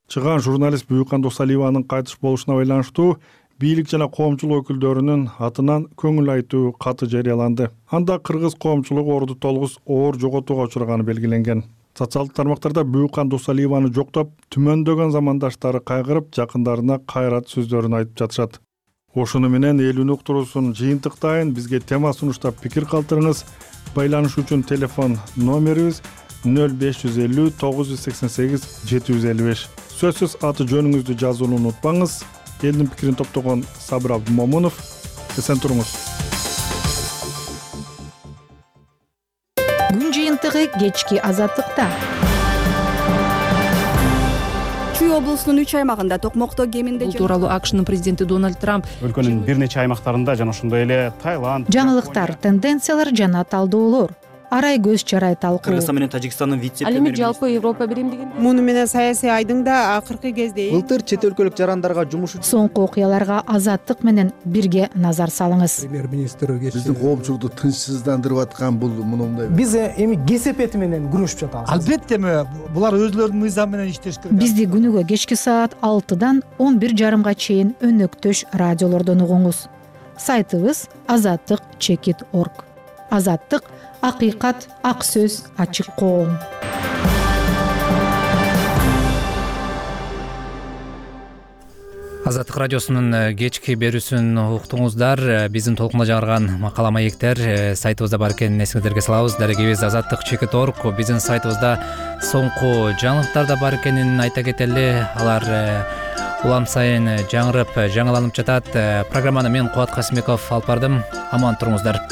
Чыган журналист Бүйүккан Досалиеванын кайтыш болушуна байланыштуу бийлик жана коомчулук өкүлдөрүнүн атынан көңүл айтуу каты жарыяланды. Анда кыргыз коомчулугу орду толгус оор жоготууга учураганы белгиленген. Социалдык тармактарда Бүйүккан Досалиеваны жоктоп, түмөндөгөн замандаштары кайгырып, жакындарына кайрат сөздөрүн айтып жатышат. Ошону менен элүүнү уктуруусун жыйынтыктайын. Бизге тема сунуштап пикир калтырыңыз. Байланыш үчүн телефон номерибиз 0550 988 755. Сөзсүз аты жөнүңүздү жазууну унутпаңыз. Элдин пикирин топтогон Сабыр Абдумомунов. Эсен туруңуз. Күн жыйынтыгы кечки Азаттыкта. Чүй облусунун 3 аймагында токмокто кеминде бул тууралуу АКШнын президенти Дональд Трамп өлкөнүн бир нече аймактарында жана ошондой эле Таиланд жаңылыктар, тенденциялар жана талдоолор арай көз чарай талкуу. Кыргызстан менен Тажикстандын ал эми жалпы Европа биримдигин муну менен саясий айдың да акыркы кезде былтыр чет өлкөлүк жарандарга жумуш Соңку окуяларга Азаттык менен бирге назар салыңыз. Премьер-министр биздин коомчулукту тынчсыздандырып аткан бул мындай. Биз эми кесепети менен күрөшүп жатабыз. Албетте булар өзлөрүнүн мыйзамы менен иштеш керек. Бизди күнүгө кечки саат 6-дан 11:30 чейин өнөктөш радиолордон угуңуз. Сайтыбыз azattik.org. Азаттык — акыйкат, ак сөз, ачык коом. Азаттык радиосунун кечки берүүсүн уктуңуздар. Биздин толкунда жаңырган макала маектер сайтыбызда бар экенин эсиңиздерге салабыз. Дарегибиз azattik.org. Биздин сайтыбызда соңку жаңылыктар да бар экенин айта кетели. Алар улам сайын жаңырып, жаңыланып жатат. Программаны мен Кубат Касымбеков алып бардым. Аман туруңуздар.